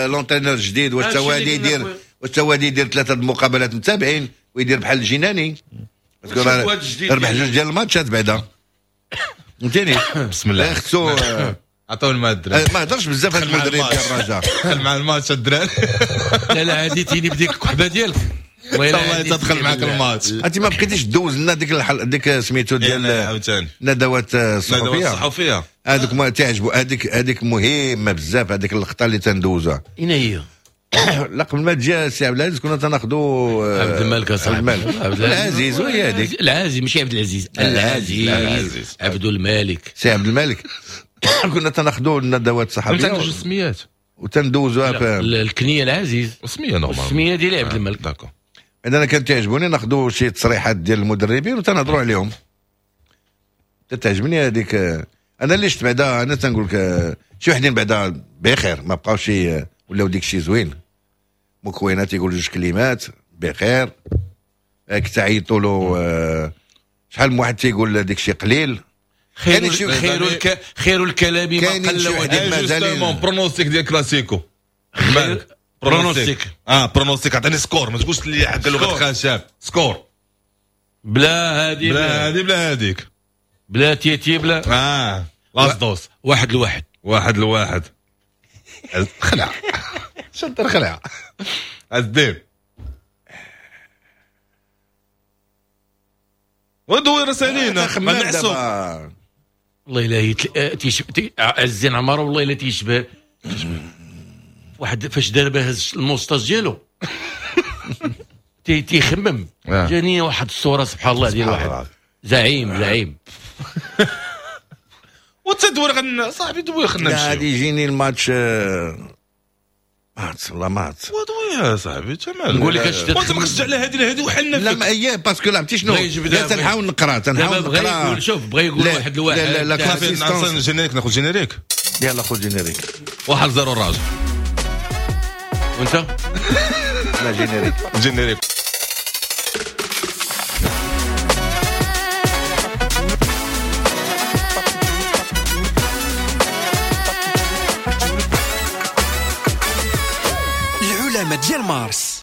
l'entraîneur الجديد واش هو غادي يدير واش هو غادي يدير ثلاثة المقابلات متابعين ويدير بحال الجناني، ربح جوج ديال الماتشات بعدا. فهمتيني؟ بسم الله. خصو عطاو الماء الدراري. ما هضرش بزاف هذا المدرب ديال الرجاء. دخل مع الماتش الدراري. لا لا عاديتيني بديك الكحبه ديالك. والله تدخل معاك الماتش. انت ما بقيتيش دوز لنا ديك الحل... ديك سميتو ديال عاوتاني الندوات الصحفية. الندوات الصحفية هذوك ما تعجبوا، هذيك هذيك مهمة بزاف، هذيك اللقطة اللي تندوزها. اين هي؟ لا قبل ما تجي السي عبد العزيز كنا تناخذوا عبد الملك عبد الملك عبد العزيز، وهي هذيك العزيز ماشي عبد العزيز، العزيز عبد الملك، سي عبد الملك. كنا تناخذوا الندوات الصحفية. انت عندك جوج سميات وتندوزوها في الكنية العزيز والسميه normal، السمية ديال عبد الملك. d'accord. انا كانت تعجبوني ناخذوا شي تصريحات ديال المدربين وتنهضروا عليهم. تعجبني هذيك. انا اللي شفت بعدا، انا تنقول لك شي وحدين بعدا بخير ما بقاوش ولاو ديك الشيء زوين. مكوينات يقول جوج كلمات بخير، كتعيطوا له شحال من واحد تيقول ديك الشيء قليل. خير خير الك... خير الكلام ما قل ودل. pronostic ديال كلاسيكو pronostic. اه pronostic عطيني score، ما تقولش لي حق لغة خشب. score بلا هادي بلا هادي بلا هاديك بلا تيتي بلا اه لاس دوس. واحد لواحد واحد لواحد. خلع شد الخلع الديب ودوي رسالينا ما نعسو. والله الا تيشبه عزين عمارة، والله الا تيشبه واحد فاش دار به ال moustache ديالو تيخمم. جاني واحد الصورة سبحان الله ديال واحد زعيم زعيم. وانت دوي غن صاحبي دوي خلينا نمشيو. غادي يجيني الماتش ماتش والله ماتش ودوي يا صاحبي تمام. نقول لك اش وانت ما كتشجع على هذه لهذه وحنا لا ما اياه parce que لعبتي شنو لا تنحاول نقرا تنحاول نقرا. شوف بغى يقول واحد لواحد. لا لا لا générique، ناخذ générique. يلا خذ générique. واحد zéro الراجل. وانت لا générique générique. العلماء ديال مارس.